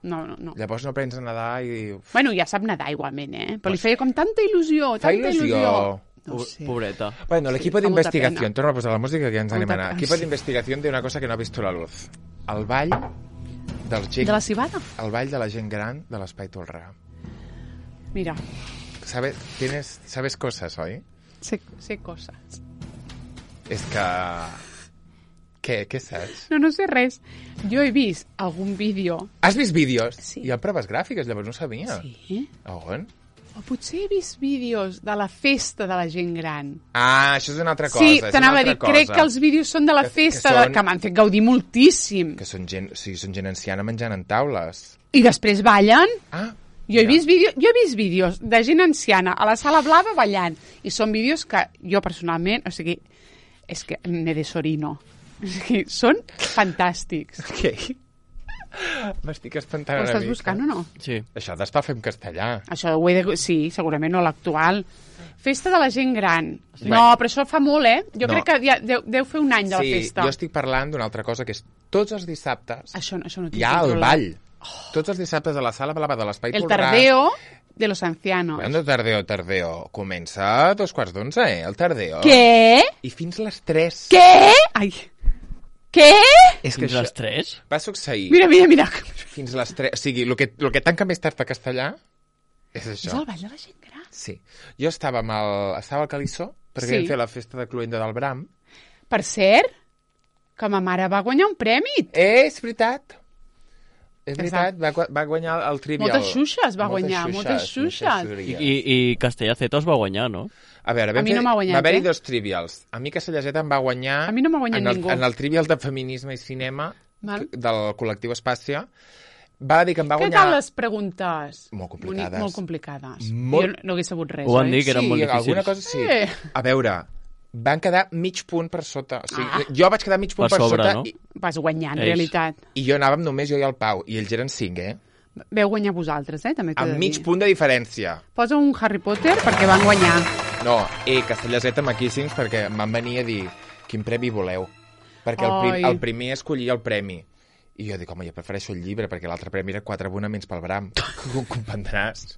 no, no. no. Llavors no aprens a nedar i dius... Bueno, ja sap nedar igualment, eh? Però li feia com tanta il·lusió, Fa tanta il·lusió. il·lusió. No ho Po- sé. Pobreta. Bueno, el Sí, equipo fa de molta investigación, pena. torna a posar la música que ja ens anem a Molta anar. pena, Equipo sí. de investigación de una cosa que no ha visto la luz. El ball dels gent, De la cibada? el ball de la gent gran de l'Espai Tolrà. Mira, ¿Sabes, tienes, sabes cosas, oi? sé, sé coses. És que... Què, què saps? No, no sé res. Jo he vist algun vídeo... Has vist vídeos? Sí. Hi ha proves gràfiques, llavors no sabia. Sí? A on? O potser he vist vídeos de la festa de la gent gran. Ah, això és una altra cosa. Sí, és una t'anava a altra dir, crec cosa. que els vídeos són de la Que- que festa, són- de, que m'han fet gaudir moltíssim. Que són gent, o sigui, són gent anciana menjant en taules. I després ballen. Ah, Jo he, mira. vist vídeo, jo he vist vídeos de gent anciana a la sala blava ballant. I són vídeos que jo personalment, o sigui, és que me desorino. O sigui, són fantàstics. Què? M'estic espantant Ho una estàs mica. buscant o no? Sí. Això d'estar fent castellà. Això ho he de... Sí, segurament no l'actual. Festa de la gent gran. Sí. No, però això fa molt, eh? Jo No. crec que ja deu, deu fer un any de la Sí, festa. jo estic parlant d'una altra cosa, que és tots els dissabtes Això, no- això no tinc hi ha el controlat. ball. Tots els dissabtes a la sala blava de l'Espai El Tolrà. tardeo de los ancianos. Bueno, tardeo, tardeo. Comença a dos quarts d'onze, eh, el tardeo. Què? I fins les tres. Què? Ai. Què? És que Fins això les tres? va succeir Mira, mira, mira. fins les tres. O sigui, el que, el que tanca més tard a castellà és És això. el ball de la gent gran. Sí. Jo estava, amb el, estava al Calissó, perquè Sí. vam fer la festa de Cluenda del Bram. Per cert, que ma mare va guanyar un premi. Eh, és veritat. És Exacte. veritat, va, gu- va guanyar el Trivial. Moltes xuxes va guanyar, moltes xuxes. I, i, i Castellaceta es va guanyar, no? A veure, A vam mi fer, no m'ha guanyat, va haver-hi eh? dos trivials. A mi Castellaseta em va guanyar... A mi no m'ha guanyat en el, ningú. En el trivial de feminisme i cinema Val. del col·lectiu Espàcia. Va dir que em va Què guanyar... tal les preguntes? Molt complicades. Boni- Molt complicades. Molt- Jo no hagués sabut res, Ho van oi? dir que eren sí, molt difícils. alguna cosa sí. Eh. A veure, van quedar mig punt per sota. O sigui, Ah. jo vaig quedar mig punt Per per, sobre, sota no? i, Vas guanyar, en Ells. realitat. i jo anàvem només jo i el Pau. I ells eren cinc, eh? Veu guanyar vosaltres, eh? També t'he de Amb mig dir. punt de diferència. Posa un Harry Potter perquè van guanyar. No, eh, Castellaseta maquíssims perquè em van venir a dir quin premi voleu. Perquè el, prim, Ai. el primer escollia el premi. I jo dic, home, jo prefereixo el llibre perquè l'altre premi era quatre abonaments pel Bram. Com comprendràs?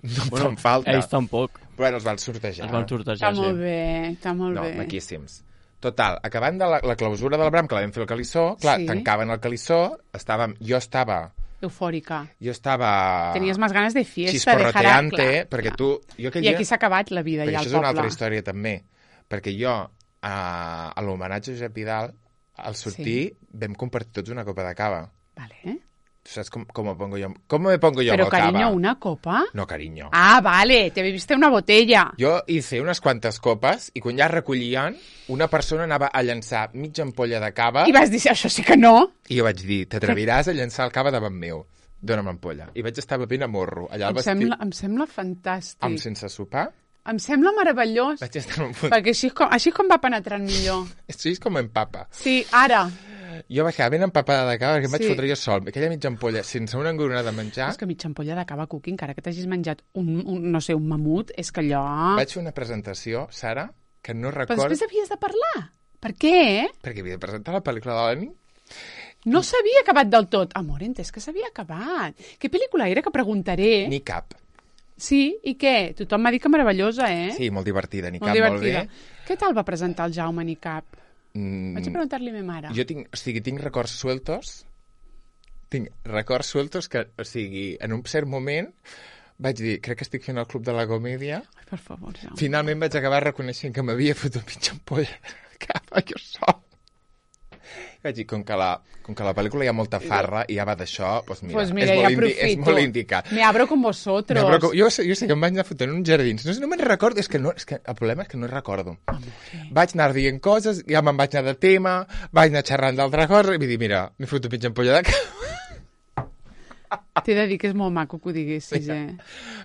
No em fan falta. Ells tampoc. Però els van sortejar. Es van sortejar, Està molt sí. bé, està molt No, bé. maquíssims. Total, acabant de la, la clausura del Bram, que la vam fer al Calissó, clar, Sí. tancaven el Calissó, estàvem, jo estava... Eufòrica. Jo estava... Tenies més ganes de fiesta, de Chisporroteante, jarac, perquè clar. tu... Jo aquell I dia, aquí s'ha acabat la vida, perquè ja, això al és una poble. altra història també, perquè jo, a, a l'homenatge a Josep Vidal, al sortir, sí. vam compartir tots una copa de cava. Vale. Tu saps com, com me pongo jo? Com me pongo jo Però, amb el carinyo, cava? una copa? No, carinyo. Ah, vale, te bebiste una botella. Jo hice unes quantes copes i quan ja recollien, una persona anava a llançar mitja ampolla de cava I vas dir, això sí que no. i jo vaig dir, t'atreviràs a llançar el cava davant meu. dona'm l'ampolla. I vaig estar bevent a morro, allà al Em vestit, sembla, em sembla fantàstic. amb sense sopar. Em sembla meravellós. Vaig estar en un punt... Perquè així és, com, així és com va penetrant millor. Així és com empapa. Sí, ara. Jo baixava ben empapada de cava perquè em vaig Sí. fotre jo sol. Aquella mitja ampolla, sense una engronada de menjar, És que mitja ampolla de cava cuqui, encara que t'hagis menjat un, un, no sé, un mamut, és que allò... vaig fer una presentació, Sara, que no Però recordo... després havies de parlar. Per què? Perquè havia de presentar la pel·lícula de la nit. No s'havia acabat del tot. Amor, entès que s'havia acabat. Què pel·lícula era que preguntaré? Ni cap. Sí, i què? Tothom m'ha dit que meravellosa, eh? Sí, molt divertida, ni molt cap, molt divertida. bé. Què tal va presentar el Jaume Nicap? Mm, Vaig a preguntar-li a ma mare. Jo tinc, o sigui, tinc records sueltos, tinc records sueltos que, o sigui, en un cert moment vaig dir, crec que estic fent el Club de la Comèdia. Ai, per favor, Jaume. Finalment vaig acabar reconeixent que m'havia fotut mitja ampolla de cava jo sol. Vaig dir, com que, la, com que la pel·lícula hi ha molta farra i ja va d'això, doncs mira, Pues mira, és, ja molt indi aprofito. és molt indicat. Me abro con vosotros. No, però com- jo, sé- jo sé que em vaig anar fotent uns jardins. No, sé, no me'n recordo, és que, no, és que el problema és que no recordo. Vaig anar dient coses, ja me'n vaig anar de tema, vaig anar xerrant d'altra cosa, i vull dir, mira, m'he fotut mitja ampolla de cava. T'he de dir que és molt maco que ho diguessis, eh?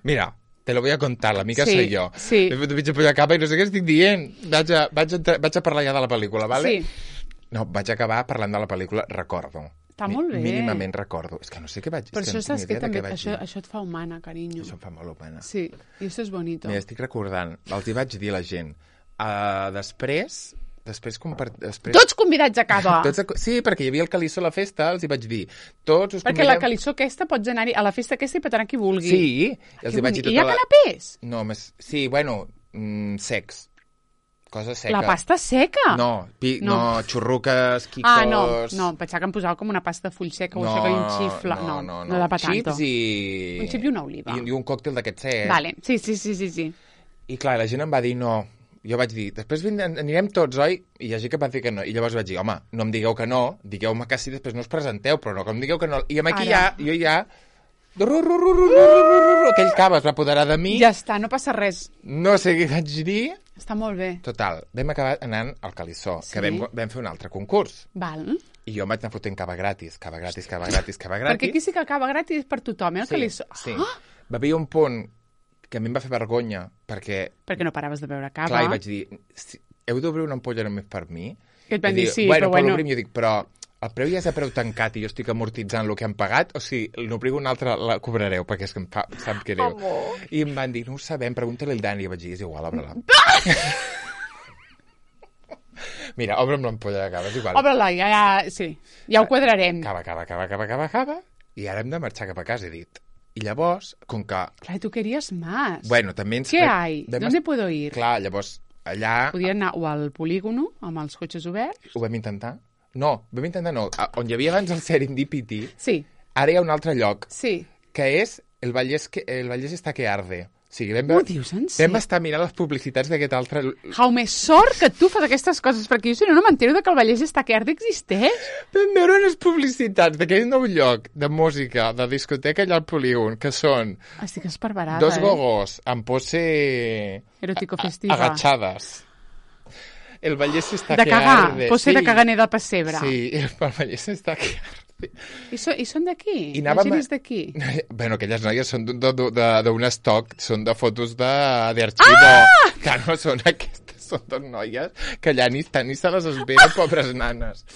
Mira, te lo voy a contar, l'amica Sí, soy jo. sí. M'he fotut mitja ampolla de cava i no sé què estic dient. Vaig a, vaig a, vaig a parlar ja de la pel·lícula, vale? Sí. No, vaig acabar parlant de la pel·lícula, recordo. Està Mi- molt bé. Mínimament recordo. És que no sé què vaig dir. Però és això no saps tinc que idea de també... què vaig Això, dir. això et fa humana, carinyo. Això em fa molt pena. Sí, i això és bonito. Mira, estic recordant, els hi vaig dir a la gent. Uh, després, després, compart... després... Tots convidats a cava! Tots a... Sí, perquè hi havia el Calissó a la festa, els hi vaig dir. Tots us Perquè la convidem- calissó aquesta pots anar a la festa aquesta i pot anar qui vulgui. Sí, i els Que hi vaig dir bonic. I hi ha tota la... canapés? No, més... Sí, bueno, mm, secs. Cosa seca. La pasta seca? No, pi... No. no. xurruques, quicos... Ah, no, no, pensava que em posava com una pasta de full seca o no, això que hi un xifla. no, no, no. no da pa tanto. Xips i... Un xip i una oliva. I, i un còctel d'aquest sec. Vale, sí, sí, sí, sí, sí. I clar, la gent em va dir no. Jo vaig dir, després vindrem, anirem tots, oi? I hi ha gent que va dir que no. I llavors vaig dir, home, no em digueu que no, digueu-me que sí, després no us presenteu, però no que em digueu que no. I aquí Ara. ja, jo ja... Ru, ru, ru, ru, ru, ru, ru, aquell cava es va apoderar de mi, Ja està, no passa res. no sé què vaig dir. Està molt bé. Total, vam acabar anant al Calissó, Sí. que vam, vam fer un altre concurs. Val. I jo em vaig anar fotent cava gratis, cava gratis, cava gratis, cava Perquè gratis. aquí sí que acaba gratis per tothom, eh? El Sí, calissó. sí. Ah! Va haver un punt que a mi em va fer vergonya, perquè, Perquè no paraves de beure cava. clar, i vaig dir, si, heu d'obrir una ampolla només per mi? Que et van I dir, sí, bueno, però bueno. l'obrim, jo dic, però el preu ja és a preu tancat i jo estic amortitzant el que han pagat, o sigui, n'obriu una altra, la cobrareu, perquè és que em fa, em sap greu. Amor. I em van dir, no ho sabem, pregunta-li al Dani. I vaig dir, és igual, obre-la. Mira, obre'm l'ampolla de cava, és igual. Obre-la, ja, ja, sí. Ja ho quadrarem. Cava, cava, cava, cava, cava, cava, i ara hem de marxar cap a casa, he dit. I llavors, com que... Clar, tu querías más. Bueno, també ens... ¿Qué hay? vam ¿Dónde est- puedo ir? Clar, llavors, allà Podia anar o al polígono, amb els cotxes oberts. ho vam intentar. No, vam intentar no. A- On hi havia abans el Serendipity, Sí, ara hi ha un altre lloc, sí. que és el Vallès, que, el Vallès està que arde. O sigui, vam, Ho ve- dius en vam sèrio? estar mirant les publicitats d'aquest altre... Jaume, sort que tu fas aquestes coses, perquè jo si no, no m'entero de que el Vallès està que arde existeix. Vam veure unes publicitats d'aquell nou lloc de música, de discoteca allà al polígon, que són Estic esparverada, dos eh? gogos amb pose... Erótico a- festiva. Agachades. El Vallès està De que cagar, arde. pose de caganer del pessebre. Sí, el Vallès està que arde. I, so, I són d'aquí? I La anàvem gent a- és d'aquí? Bueno, aquelles noies són d'un de, de, d'un estoc, són de fotos de d'arxivo. Ah! Que no són aquestes, són dos noies que allà ni estan ni se les esperen, pobres nanes.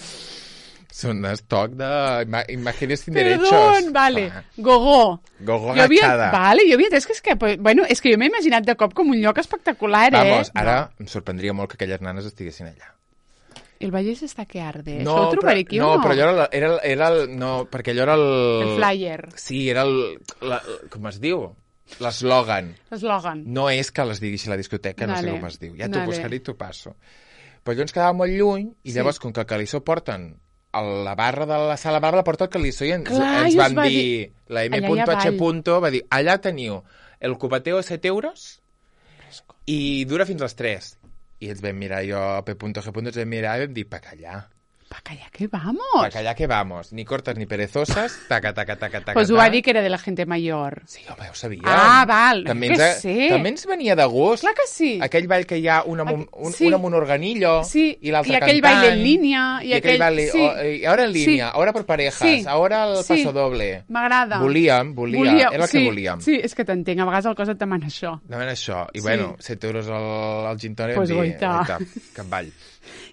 Són d'estoc de ima imágenes sin derechos. Perdón, vale. Ah, Gogó. Gogo Jo havia, agachada. vale, jo havia entès que és que, pues, bueno, és que jo m'he imaginat de cop com un lloc espectacular, eh? Vamos, ara em sorprendria molt que aquelles nanes estiguessin allà. El Vallès està que arde. Això ho trobaré aquí no, o no? però allò era, la- era, el- era el... No, perquè allò era el... El flyer. Sí, era el... La, com es diu? L'eslògan. L'eslògan. No és que les digui així a la discoteca, no sé Vale. com es diu. Ja t'ho Vale. buscaré i t'ho passo. Però allò ens quedava molt lluny, i Sí. llavors, com que el Calissó porten a la barra de la sala barra, la porta el Calissó, i ens, Clar, ens i us van va dir, dir- la Allà hi ha M.H. ball. va dir, allà teniu el cupateo a set euros i dura fins a les tres. I ens vam mirar, jo, P.G. ens vam mirar i vam dir, pa callar. Pa callar que vamos. Para allá que vamos. Ni cortas ni perezosas. Taca, taca, taca, taca. Pues ho va dir que era de la gente mayor. Sí, home, ho sabíem. Ah, val. També que ens, sé. també ens venia de gust. Clar que sí. Aquell ball que hi ha una amb un, un, Sí. una amb un organillo Sí, i l'altre i aquell cantant. baile en línia, i I aquell aquell- baile... sí. Oh, i ahora en línia, Sí. ahora por parejas, Sí. ahora el Sí. paso doble. M'agrada. Volíem, volia, era el sí, que volíem. Sí, és que t'entenc, a vegades el cos et demana això. Demanen això. I Sí. bueno, set euros al, al gin tònic Pues vam dir, guaita. guaita, cap ball.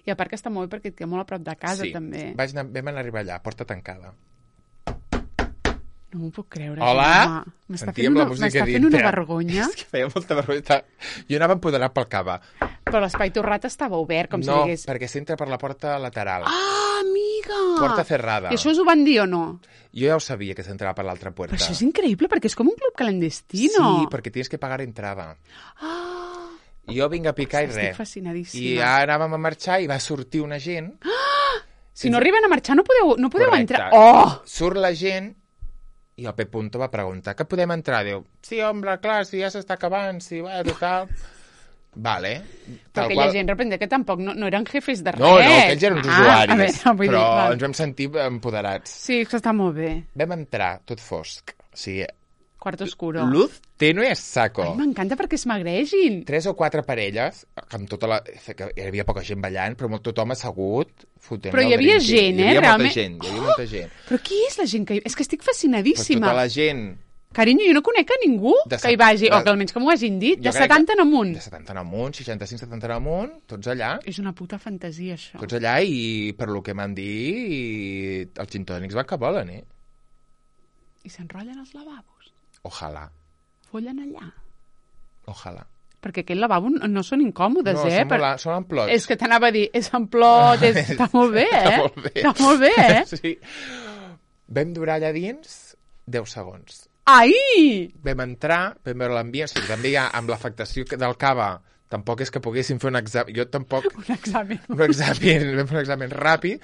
I a part que està molt bé perquè et queda molt a prop de casa, sí. també. Vaig anar, vam anar a arribar allà, porta tancada. No m'ho puc creure. Hola? Gemma. M'està fent, Sentíem una, la música m'està fent dintre. una vergonya. És que feia molta vergonya. Estava- Jo anava empoderat pel cava. Però l'espai torrat estava obert, com no, si digués... perquè s'entra per la porta lateral. Ah, amiga! Porta cerrada. I això us ho van dir o no? Jo ja ho sabia, que s'entrava per l'altra puerta. Però això és increïble, perquè és com un club clandestino. Sí, perquè tienes que pagar entrada. Ah, Jo vinc a picar i estic res. fascinadíssima. I ara anàvem a marxar i va sortir una gent. si no arriben a marxar no podeu, no podeu Correcte. entrar. Oh! Surt la gent i el Pep Punto va preguntar que podem entrar? Diu, sí, home, clar, si ja s'està acabant, si va, total... Vale. Però aquella gent, reprende, que tampoc no, no eren jefes de res. No, no, aquells eren uns ah, usuaris, a veure, vull però dir, val. ens vam sentir empoderats. Sí, és que està molt bé. Vam entrar, tot fosc. O sigui, Quarto oscuro. luz tenue a saco. Ai, m'encanta perquè es magreixin. Tres o quatre parelles, amb tota la... que hi havia poca gent ballant, però molt tothom assegut, fotent Però hi el havia drinking. gent, eh, Hi havia realment. molta gent, hi havia molta gent. Però qui és la gent que hi... És que estic Pues fascinadíssima. tota la gent Carinyo, jo no conec a ningú De que hi set- vagi, de- o que almenys que m'ho hagin dit, Jo de crec setanta que- en amunt. de setanta en amunt, seixanta-cinc setanta en amunt, tots allà, És una puta fantasia, això. tots allà, i per lo que m'han dit, i els gintònics van que volen, eh? I s'enrotllen els lavabos. Ojalà, Follen allà. ojalà. Perquè aquell lavabo no no són incòmodes, No, eh? són, molt, són en plots. És que t'anava a dir, és en plot, és... està molt bé, eh? Està molt bé. Està molt bé, eh? Sí. Vam durar allà dins deu segons. Ai! Vam entrar, vam veure l'ambient, o sigui, també ja amb l'afectació que- del cava, tampoc és que poguéssim fer un examen, jo tampoc, Un examen. un examen, vam fer un examen ràpid,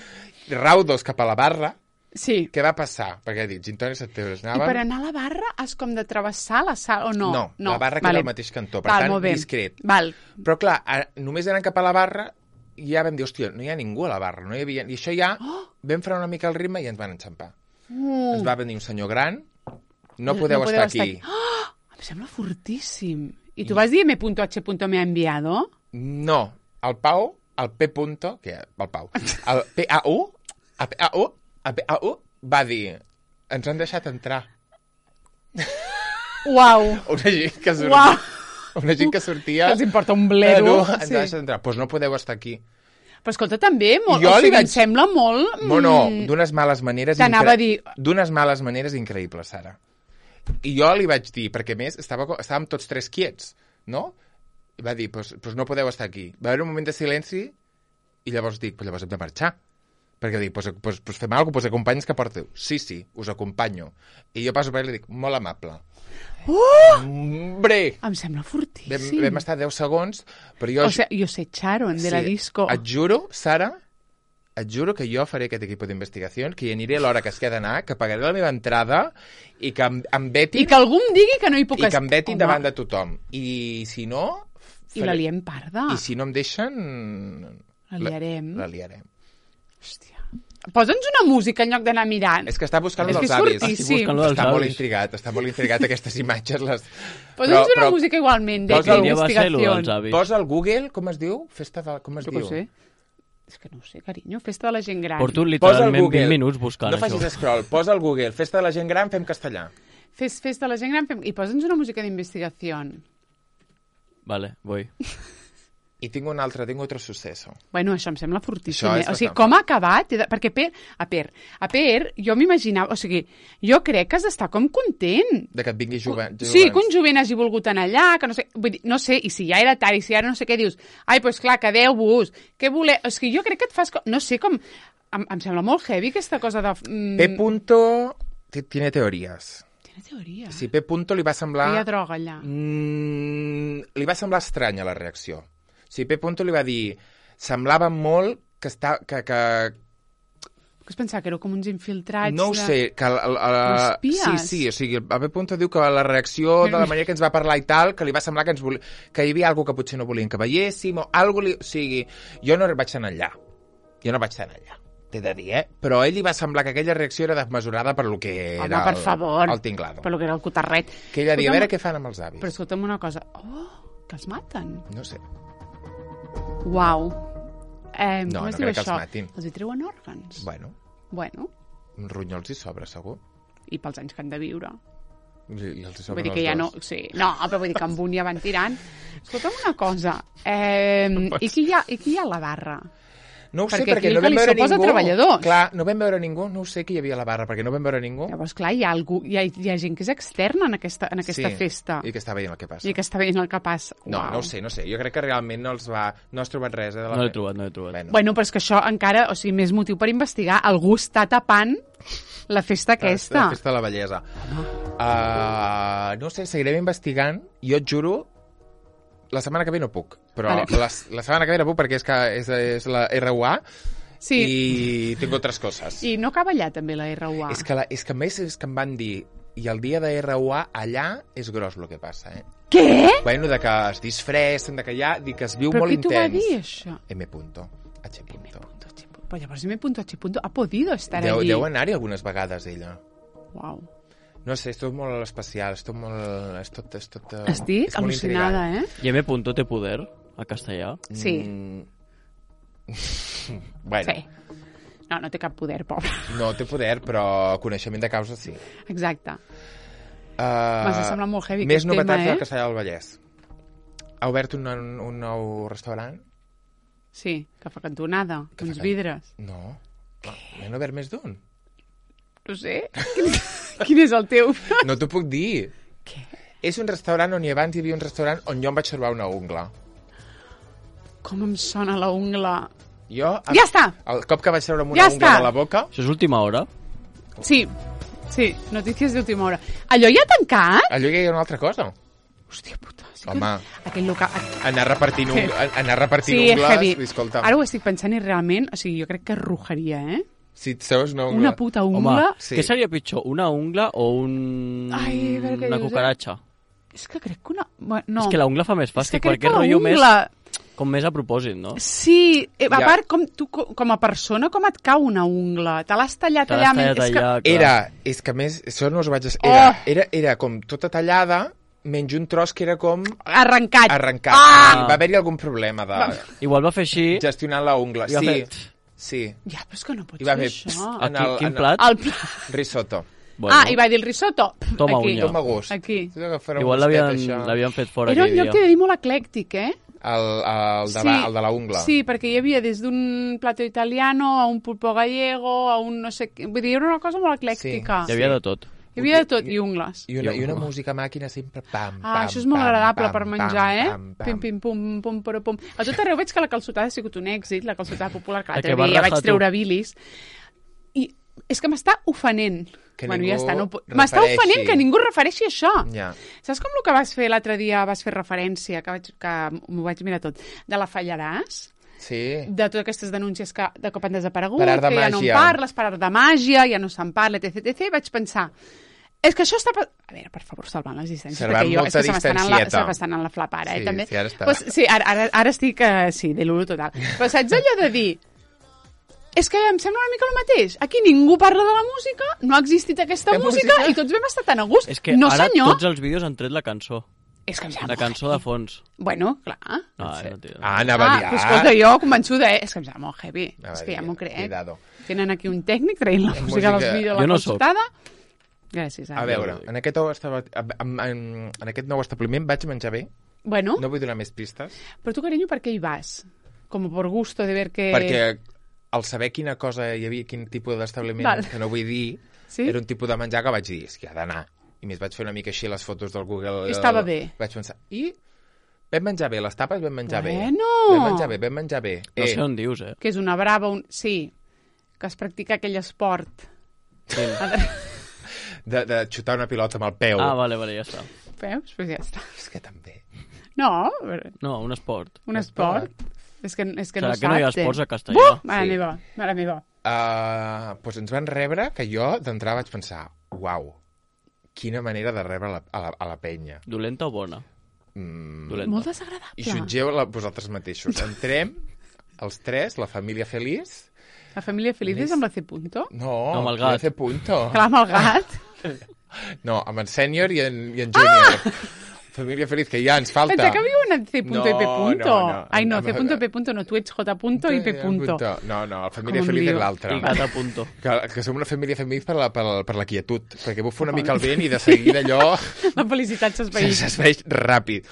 raudos cap a la barra, Sí. què va passar? Perquè he dit, gintònics set euros, I anàvem... per anar a la barra has com de travessar la sala, o no? No, la barra queda al mateix cantó, per Val, tant, molt bé. discret. Val. Però clar, a, només anant cap a la barra, i ja vam dir, hòstia, no hi ha ningú a la barra, no hi havia... I això ja, Oh! vam frenar una mica el ritme i ens van enxampar. Mm. Ens va venir un senyor gran, no podeu, estar aquí. Oh! Em sembla fortíssim. I tu vas dir M H me ha enviado? No, el Pau, el P. Punto, que el Pau, el P A U, el P A U, el P A U va dir, ens han deixat entrar. Uau! Una gent que sortia, Uau! una gent que sortia... Que els importa un bledo. No, ens Sí. han deixat entrar. Doncs pues no podeu estar aquí. Però escolta, també, molt, Jo o li sigui, vaig- em sembla molt... mm, No, no, d'unes males maneres... T'anava a dir- D'unes males maneres increïbles, Sara. I jo li vaig dir, perquè a més estava, co- estàvem tots tres quiets, no? I va dir, pues, pues no podeu estar aquí. Va haver un moment de silenci i llavors dic, pues llavors hem de marxar. Perquè dic, pues, pues, pues fem alguna cosa, pues acompanyes que porteu. Sí, sí, us acompanyo. I jo passo per ell i li dic, molt amable. Uh! Hombre! Em sembla Vam, fortíssim. vam estar deu segons, però jo... O sea, yo sé Sharon de la disco. Et juro, Sara, et juro que jo faré aquest equip d'investigació, que hi aniré a l'hora que es queda d'anar, que pagaré la meva entrada i que em, em vetin, I que algú em digui que no hi puc i que estar. em vetin Home, davant de tothom. I si no... I la liem parda. I si no em deixen... La liarem. La, la liarem. Hòstia. Posa'ns una música en lloc d'anar mirant. És que està buscant És lo que dels és avis. fortíssim. Estic buscant lo dels Està molt avis. intrigat, està molt intrigat aquestes imatges. Les... Posa'ns una música igualment de Posa- Quin dia va ser lo dels investigació. avis? Posa al Google, com es diu? Festa de... Com es Jo diu? què ho sé. És que no ho sé, carinyo. Festa de la gent gran. Porto Posa al literalment Google. vint minuts buscant no això. facis scroll, posa al Google. Festa de la gent gran, fem castellà. Fes festa de la gent gran fem... i posa'ns una música d'investigació. Vale, voy. I tinc un altre, tinc otro suceso. Bueno, això em sembla fortíssim. Això Eh? és O sigui, bastant com ha acabat? He de- Perquè per, a Per, a Per, jo m'imaginava... O sigui, jo crec que has d'estar com content. De que et vingui jove, jove Sí, que un jovent hagi volgut anar allà, que no sé... Vull dir, no sé, i si ja era tard, i si ara no sé què dius, ai, doncs pues clar, quedeu-vos, què voleu... És que jo crec que et fas... co- No sé com... Em, em sembla molt heavy aquesta cosa de... Mm, P. Punto t- tiene teories. Tiene teoria. Si P. Punto li va Que semblar... hi ha droga allà. Mm, li va semblar estranya la reacció. Si P. Punto li va dir... Semblava molt que està... Que, que, Que es pensava que éreu com uns infiltrats... no ho de- sé, que... La, la, Com la, espies. sí, sí, o sigui, el P. Punto diu que la reacció de la manera que ens va parlar i tal, que li va semblar que, ens voli... que hi havia alguna que potser no volien que veiéssim, o alguna li... O sigui, jo no vaig anar allà. Jo no vaig anar allà. t'he de dir, eh? Però a ell li va semblar que aquella reacció era desmesurada per lo que era Home, per el, favor. el tinglado. Per lo que era el cotarret. Que ella diu, a Escolta'm- veure què fan amb els avis. Però escolta'm una cosa. Oh, que els maten. No sé. Uau. Eh, No, com no es diu crec que els això? matin. Els hi treuen òrgans. Bueno, Bueno, uns ronyols hi sobra, segur. i pels anys que han de viure. I, i els hi Vull sobren dir que els ja no... dos. Sí, no, però vull dir que amb un ja van tirant. Escolta'm una cosa. Eh, i, qui hi ha, I qui hi ha a la barra? No ho sé, Perquè perquè aquí el no que vam li veure suposa ningú. treballadors. Clar, no vam veure ningú. No ho sé qui hi havia a la barra, perquè no vam veure ningú. Llavors, clar, hi ha, algú, hi ha, hi ha gent que és externa en aquesta, en aquesta sí, festa. I que està veient el que passa. I que està veient el que passa. No, Uau. no ho sé, no ho sé. Jo crec que realment no els va... No has trobat res, eh? De la No l'he fe- trobat, no l'he trobat. Bueno, Bueno, però és que això encara, o sigui, més motiu per investigar. Algú està tapant la festa aquesta. La festa de la bellesa. Uh, no ho sé, seguirem investigant. Jo et juro, la setmana que ve no puc. Però Vale. la, la setmana que ve no puc perquè és, que és, és la R U A Sí, i tinc altres coses. i no acaba allà també la R U A. És que, la, és que a més és que em van dir i el dia de R U A allà és gros el que passa, eh? Què? Bueno, de que es disfressen, de que allà, dir que es viu Però molt qui t'ho va intens. dir, això? M. Punto. H. Punto. Però llavors M. H. ha podido estar Deu, allí. deu anar-hi algunes vegades, ella. Uau. No sé, és tot molt especial, és tot molt... És tot, és tot, eh, Estic és molt al·lucinada, eh? I M. Punto té poder a castellà? Sí. Mm. Bueno, Sí. No, no té cap poder, pobre. no té poder, però coneixement de causa sí. Exacte. Uh, M'està semblant molt heavy Més aquest novetats tema, eh? del Castellà del Vallès. Ha obert un, un nou restaurant? Sí, que fa cantonada, Que uns fa can- vidres. No. Ah, n'han obert més d'un? No sé. Quin, quin és el teu? No t'ho puc dir. Què? És un restaurant on hi abans hi havia un restaurant on jo em vaig trobar una ungla. Com em sona la ungla. Jo, Ja està! el cop que vaig treure una Ja ungla està! de la boca... Això és última hora? Sí, sí, notícies d'última hora. Allò ja ha tancat? Allò ja hi ha una altra cosa. Hòstia puta. Sí que... Home. Aquell local... Anar repartint, Sí. un, anar repartint Sí, ungles... heavy. Escolta, Ara ho estic pensant i realment, o sigui, jo crec que rujaria, eh? si et treus una ungla... Una puta ungla... Home, Sí. què seria pitjor, una ungla o un... Ai, a veure què una dius, eh? cucaratxa? És que crec que una... Bueno, no. És que la ungla fa més És fàstic, que crec perquè que la rotllo més, ungla... com més a propòsit, no? Sí, eh, a Ja. part, com, tu, co- com a persona, com et cau una ungla? Te l'has tallat Te allà... l'has tallat és que... allà, clar. Era, és que a més, això no us ho vaig... es- Era, Oh! era, era com tota tallada, menys un tros que era com Arrencat. arrencat. Ah! I va haver-hi algun problema de Igual va fer així... gestionar la ungla. I va Sí, fer- sí. Ja, però és que no pots I va fer fer... això. en Aquí, el- quin en- plat? El pla... Risotto. Bueno, Ah, i va dir el risotto. Pff, Toma aquí. unya. Toma gust. Aquí. Tu agafar un Igual gustet, l'havien això. l'havien fet fora Era un aquell lloc, dia. t'he de dir, molt eclèctic, eh? El, el, de, la, el de la ungla. Sí, perquè hi havia des d'un plato italiano a un pulpo gallego, a un no sé què... Vull dir, era una cosa molt eclèctica. Hi havia de tot. Hi havia de tot, i ungles. I una, I una música màquina sempre pam, Ah, pam, això és molt pam, agradable pam, per pam, menjar, eh? pam, pam. Pim, pim, pum, pum, pum, pum. A tot arreu veig que la calçotada ha sigut un èxit, la calçotada popular, que La l'altre que vas dia ja vaig rajar tu. treure bilis. I és que m'està ofenent. Que bueno, ningú ja està, no... po- M'està refereixi. ofenent que ningú refereixi a això. Ja. Saps com el que vas fer l'altre dia, vas fer referència, que, vaig, que m'ho vaig mirar tot, de la Fallaràs? Sí. De totes aquestes denúncies que de cop han desaparegut, Per art de que ja no en màgia. parles, per art de màgia, ja no se'n parla, etc, etc, i vaig pensar, és que això està... pa- A veure, per favor, salvant les distàncies, Salvant perquè jo és molta que se m'estan en la, distancieta. se m'estan en la flapara, Sí, eh, també. sí, ara està. Pues, sí, ara, ara, ara estic, uh, sí, de l'ulo total. Però saps allò de dir, és que em sembla una mica el mateix. Aquí ningú parla de la música, no ha existit aquesta La música, música? i tots vam estar tan a gust. És que no, ara senyor. tots els vídeos han tret la cançó. És que em sembla La cançó de fons. Bueno, clar. No, no, tio. Ah, anava Ah, a dir... però escolta, jo convençuda, eh? És que em sembla molt heavy. Anava És a que ja dir, m'ho crec. cuidado. Tenen aquí un tècnic traient la música música- dels vídeos de Jo la no soc. consultada. Gràcies, A Anna. veure, en aquest, nou estava- en, en, en aquest nou establiment vaig menjar bé. Bueno, No vull donar més pistes. però tu, carinyo, per què hi vas? Com por gusto de ver que... Perquè al saber quina cosa hi havia, quin tipus d'establiment, Val. que no vull dir, Sí? era un tipus de menjar que vaig dir, és que ha d'anar. I més vaig fer una mica així les fotos del Google. I estava bé. Vaig pensar, i vam menjar bé, les tapes vam menjar bé. Bueno. Vam menjar bé, vam menjar bé. No sé on dius, eh? Que és una brava... Un... Sí, que es practica aquell esport. de, de xutar una pilota amb el peu. Ah, vale, vale, ja està. Veus? Pues ja està. És que també. No, No, un esport. un esport. És que, és que Serà no que no hi ha saps, eh? esports a castellà? Buh! Mare Sí. meva, mare meva. Uh, doncs ens van rebre que jo d'entrada vaig pensar, uau, quina manera de rebre la, a, la, a la penya. Dolenta o bona? Mm, Dolenta. Molt desagradable. I jutgeu la, vosaltres mateixos. Entrem, els tres, la família feliç, La família feliç és amb la C punto? No, No, amb el gat. C punto. Clar, amb el gat. No, amb en sènior i en, i en júnior. Ah! Família feliç, que ja ens falta. Pensa que viuen en C punto No, i P punto. no, no. Ai, no, Amb- C punto i P punto no, tu ets J punto i P punto. No, no, la família Com em feliç diu? és l'altra. I gata punto. Que, que som una família feliç per la, per, la, per la quietud, perquè bufa una mica el vent i de seguida allò La felicitat s'esveït. s'esveix ràpid.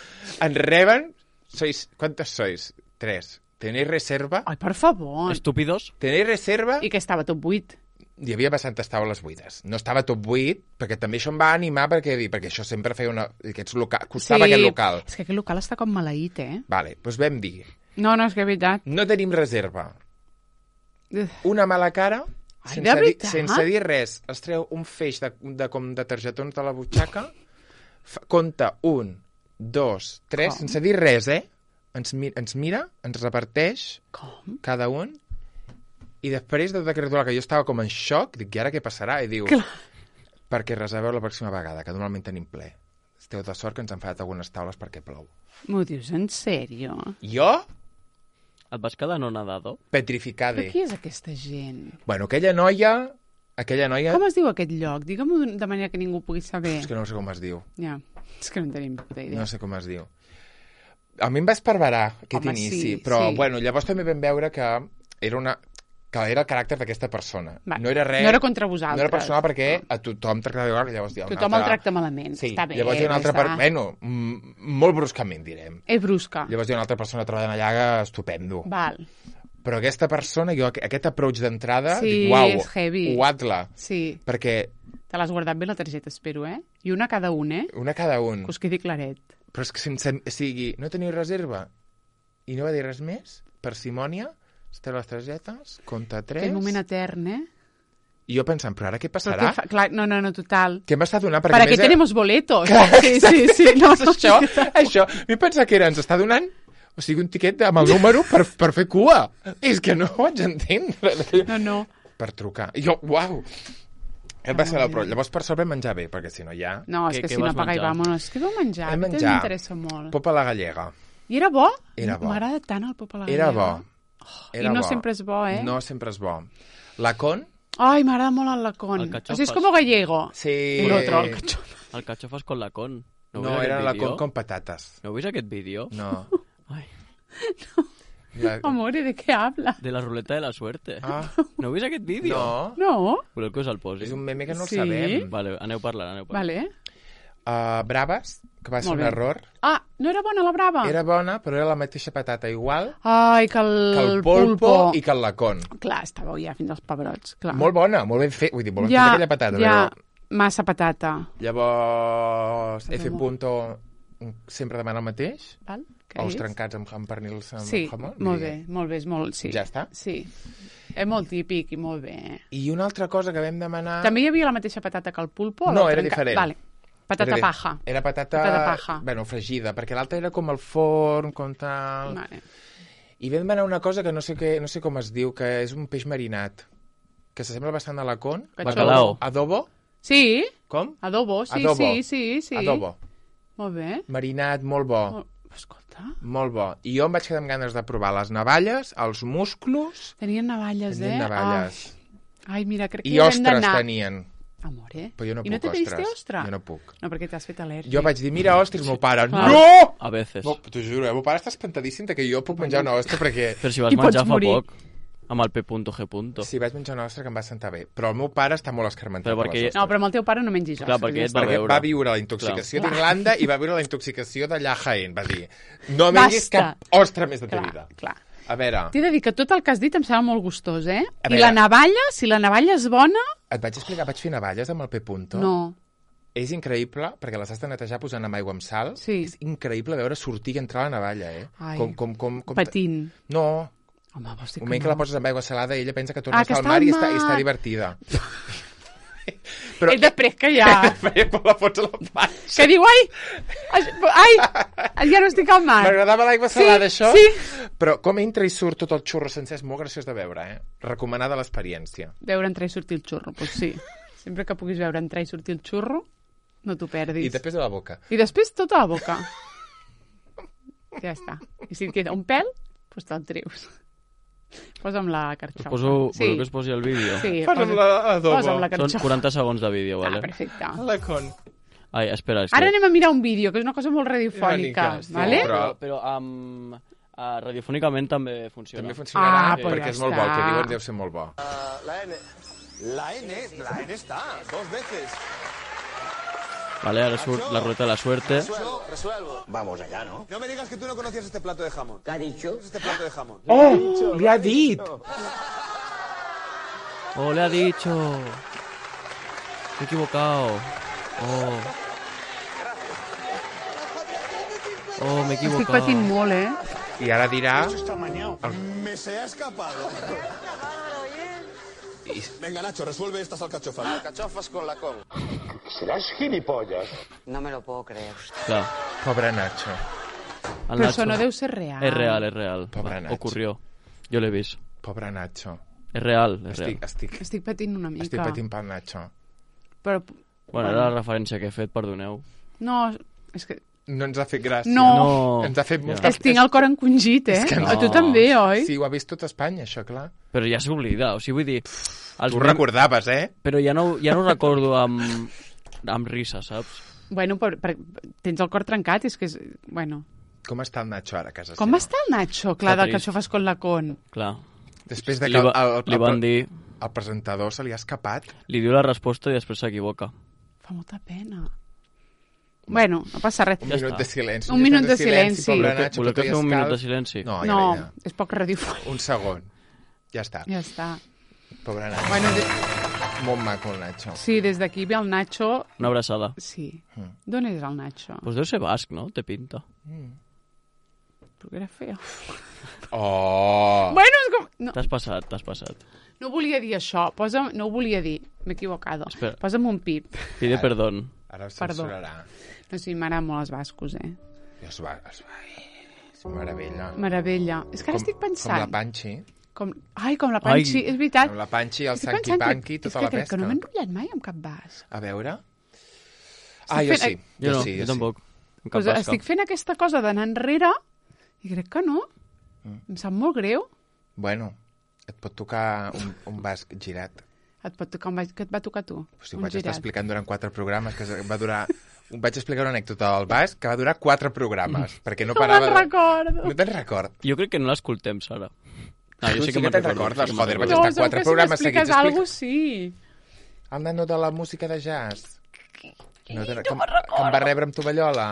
Ens reben, sois, quantes sois? Tres. Tenéis reserva? Ai, per favor. Estúpidos? Tenéis reserva? I que estava top vuit. Hi havia bastantes taules buides. No estava top vuit, perquè també això em va animar, perquè, perquè això sempre feia una... Aquests loca... Costava aquest local. És que aquest local està com maleït, eh? Vale, doncs vam dir, No, no, és que és veritat. no tenim reserva. Ugh. Una mala cara, Ai, sense, de dir, veritat? sense dir res, es treu un feix de, de, com de targetons de la butxaca, fa, compta un, dos, tres, Com? sense dir res, eh? Ens, mi, ens mira, ens reparteix Com? cada un, i després de aquest ritual que jo estava com en xoc, dic, i ara què passarà? I diu, Clar. perquè reserveu la pròxima vegada, que normalment tenim ple. Esteu de sort que ens han fallat algunes taules perquè plou. M'ho dius en sèrio? Jo, Et vas quedar no nadado? petrificada. Però qui és aquesta gent? Bueno, aquella noia, aquella noia... Com es diu aquest lloc? Digue-m'ho d'un- de manera que ningú pugui saber. És que no sé com es diu. Ja, és que no en tenim puta idea. No sé com es diu. A mi em va esparverar aquest Home, inici, sí, però sí. bueno, llavors també vam veure que era una que era el caràcter d'aquesta persona. Va, No era res... no era contra vosaltres. No era personal perquè a tothom tractava igual, llavors hi ha un Tothom altre... el tracta malament. Sí, Està bé. llavors hi ha una altra... està. Per... Bueno, m- molt bruscament, direm. És brusca. Llavors hi ha una altra persona treballant allà estupendo. Val. Però aquesta persona, jo aqu- aquest approach d'entrada, Sí, dic, uau, és heavy. uatla. Sí. Perquè Te l'has guardat bé la targeta, espero, eh? I una cada un, eh? una cada un... Que us quedi claret. Però és que sense... O sigui, no teniu reserva i no va dir res més, parsimònia, esteu les targetes, compta tres... Aquell moment etern, eh? I jo pensant, però ara què Però passarà? què fa... Clar, no, no, no, total. Què m'està donant? Perquè ¿Para a qué més, tenemos boletos? Clar, sí, sí, sí. No, és això, això. A mi pensa que era, ens està donant o sigui, un tiquet amb el número per, per fer cua. És que no ho vaig entendre. No, no. Per trucar. I jo, uau. Aquest va ser la pro. Llavors, per sort vam menjar bé, perquè si no ja... No, és Què- que què si no vas apaga i menjar? vámonos. Què vau menjar? Vam A mi menjar. m'interessa molt. Pop a la gallega. I era bo? Era bo. M'agrada tant el pop a la Era gallega. bo. I Era no bo. sempre és bo, eh? No sempre és bo. La con? Ai, m'agrada molt el lacón. El O cachofas. sigui, és com gallego. Sí. El otro, el cachofas. El cachofas con la con. No, heu vist era aquest la vídeo? con con patates. No heu vist aquest vídeo? No. Ai, La... Amor, ¿y de qué habla? de la ruleta de la suerte. Ah, No heu vist aquest vídeo? no. No? Voleu que us el posi? És un meme que no Sí. el sabem. Vale, aneu parlant, aneu parlant. Vale. Uh, braves, que va ser Molt un bé. error. Ah, no era bona la brava? Era bona, però era la mateixa patata igual Ai, que el, que el polpo, i que el lacón. Clar, estàveu ja fins als pebrots, clar. Molt bona, molt ben fet. Vull dir, molt ben ja, feta aquella patata. ja, Però... massa patata. Llavors, F. Però- Punto sempre demana el mateix. Val? Què Ous és? trencats amb, amb pernils amb Sí, jamón. molt I- bé, molt bé, és molt... Sí. Ja està? Sí. És molt típic i molt bé. I una altra cosa que vam demanar... També hi havia la mateixa patata que el pulpo? o No, la era trenca- diferent. Vale. Patata Era di- paja. Era patata... Patata paja. Bueno, fregida, perquè l'altra era com el forn, com tal... Vale. I vam demanar una cosa que no sé, què, no sé com es diu, que és un peix marinat, que s'assembla bastant a la con. Cachou. Bacalao. Adobo? Sí, Com? adobo, sí, Adobo. sí, sí, sí. Adobo. Molt bé. Marinat, molt bo. Molt... Escolta, Molt bo. I jo em vaig quedar amb ganes de provar les navalles, els musclos... tenien navalles, Tenien eh? navalles. Ai, ai, mira, crec que I hi haurem ostres d'anar. tenien. Amor, eh? Però jo no I no puc, te pediste ostres. ostra? Jo no puc. No, perquè t'has fet al·lèrgic. Jo vaig dir, mira, ostres, meu pare. Clar. No! A veces. No, t'ho juro, eh? El meu pare està espantadíssim de que jo puc menjar una ostra perquè... Però si vas I pots menjar fa morir. poc, amb el P punto G punto. Sí, vaig menjar una ostra que em va sentar bé. Però el meu pare està molt escarmentat Però per perquè- les ostres. No, però amb el teu pare no mengis Clar, ostres. perquè ja et va està. Perquè veure. va viure la intoxicació Clar. d'Irlanda i va viure la intoxicació d'allà a Jaén. Va dir, no mengis Basta. cap ostra més de ta Clar, vida. clar. A veure, T'he de dir que tot el que has dit em sembla molt gustós, eh? A I veure. la navalla, si la navalla és bona... et vaig explicar, vaig fer navalles amb el P. Punto. No. És increïble, perquè les has de netejar posant amb aigua amb sal. Sí. És increïble veure sortir i entrar la navalla, eh? Ai. Com, com, com, com... Patint. No, Home, vols dir un que moment que no? la poses amb aigua salada, ella pensa que Ah, torna que a estar al està mar al i està, i mar. està divertida. Però... És després que ja... Perquè quan la fots a la panxa. que diu, ai, ai, ja no estic al mar. M'agradava l'aigua Sí, salada, això. sí. Però com entra i surt tot el xurro sencer és molt graciós de veure, eh? Recomanada l'experiència. Veure entrar i sortir el xurro, doncs sí. Sempre que puguis veure entrar i sortir el xurro, no t'ho perdis. I després de la boca. I després tota la boca. Ja està. I si et queda un pèl, doncs te'l treus. Posa'm la carxofa. Poso, sí. Voleu que es posi el vídeo? Sí, Posa'm posa- l'adobo. Posa'm la Són carxofa. quaranta segons de vídeo, Ah, vale? perfecte. La con... Ai, espera, és Ara que... anem a mirar un vídeo, que és una cosa molt radiofònica, Sí, vale? però- Però, però um, uh, radiofònicament també funciona. També funcionarà, Ah, sí, pues perquè ja és molt bo, el que està. diuen deu ser molt bo. La N. La N, la N está, dos veces. Vale, ara surt la rueta de la suerte. Resuelvo, resuelvo. Vamos allá, ¿no? No me digas que tú no conocías este plato de jamón. ¿Qué ha dicho? ¿Qué es este plato de jamón? Oh, li ha dit! Oh, le ha dicho. Me he equivocado. Oh. Oh, me he Estic equivocado. patint molt, eh? I ara dirà... Me se ha escapado. Venga, Nacho, resuelve estas alcachofas. Alcachofas con la con. No me lo puedo creer. Clar, Pobre Nacho. el Però això Nacho- no deu ser real. És real, és real. Pobre Va, Nacho. Ocurrió. Jo l'he vist. Pobre Nacho. És real, és Estic, real. estic, Estic patint una mica. estic patint pel Nacho. Però... Bueno, era la referència que he fet, perdoneu. No, és que... No ens ha fet gràcia. No. No. Ens ha fet Ja. molta... És, tinc el cor encongit, eh? És que A no. tu també, oi? Sí, ho ha vist tot Espanya, això, clar. Però ja s'oblida, o sigui, vull dir... Els Tu ho mem- recordaves, eh? Però ja no, ja no ho recordo amb, amb risa, saps? Bueno, per, per, tens el cor trencat, és que és... Bueno... Com està el Nacho ara a casa Com seva? està el Nacho? Clar, Està del trist. cachofas con la con. Clar. Després de Li, que va, el, el, li van el, dir... el presentador se li ha escapat. Li diu la resposta i després s'equivoca. Fa molta pena. Bueno, no passa res. Un Ja minut està. de silenci. Un minut de silenci. Pobre Voleu que- Nacho, voleu que que tot fem un li minut de escalf. silenci? No, ja No, vinga. és poc radiofònic. Un segon. Ja està. Ja està. Pobre Nacho. Bueno, de... Molt maco el Nacho. sí, des d'aquí ve el Nacho... Una abraçada. Sí. Mm. D'on és el Nacho? Pues deu ser basc, no? Té pinta. Perquè era feo. Oh! Bueno, és com... No, T'has passat, t'has passat. no volia dir això. Posa'm... No ho volia dir. M'he equivocado. Espera. Posa'm un pip. Pide perdón. Ara ho Perdó. censurarà. No sé, m'agraden molt els bascos, eh? Es va, es va. És meravella. Meravella. És que ara estic pensant... Com la Panchi. Com... Ai, com la Panchi, Ai. és veritat. Amb la Panchi, el Estic Sanqui pensant que- Panqui, és tota que la crec pesca. que no m'he enrotllat mai amb cap bas. A veure... Ah, jo fent- sí. Jo no, sí, jo sí. tampoc. En cap Pues basca. estic fent aquesta cosa d'anar enrere i crec que no. Mm. Em sap molt greu. Bueno, et pot tocar un, un basc girat. Et pot tocar un baix... Què et va tocar a tu? O sigui, ho Un vaig estar girat. explicant durant quatre programes, que va durar... Vaig explicar una anècdota del basc que va durar quatre programes, perquè no No parava... me'n de- recordo. No te'n record. Jo crec que no l'escoltem, Sara. Ah, Tu sí que me'n te'n recordo, recordes, sí que me'n joder, recordo. vaig No, estar segur quatre que si programes m'expliques seguits alguna explica- cosa, sí. El nano de la música de jazz. No te'n... que, em- que em va rebre amb tovallola.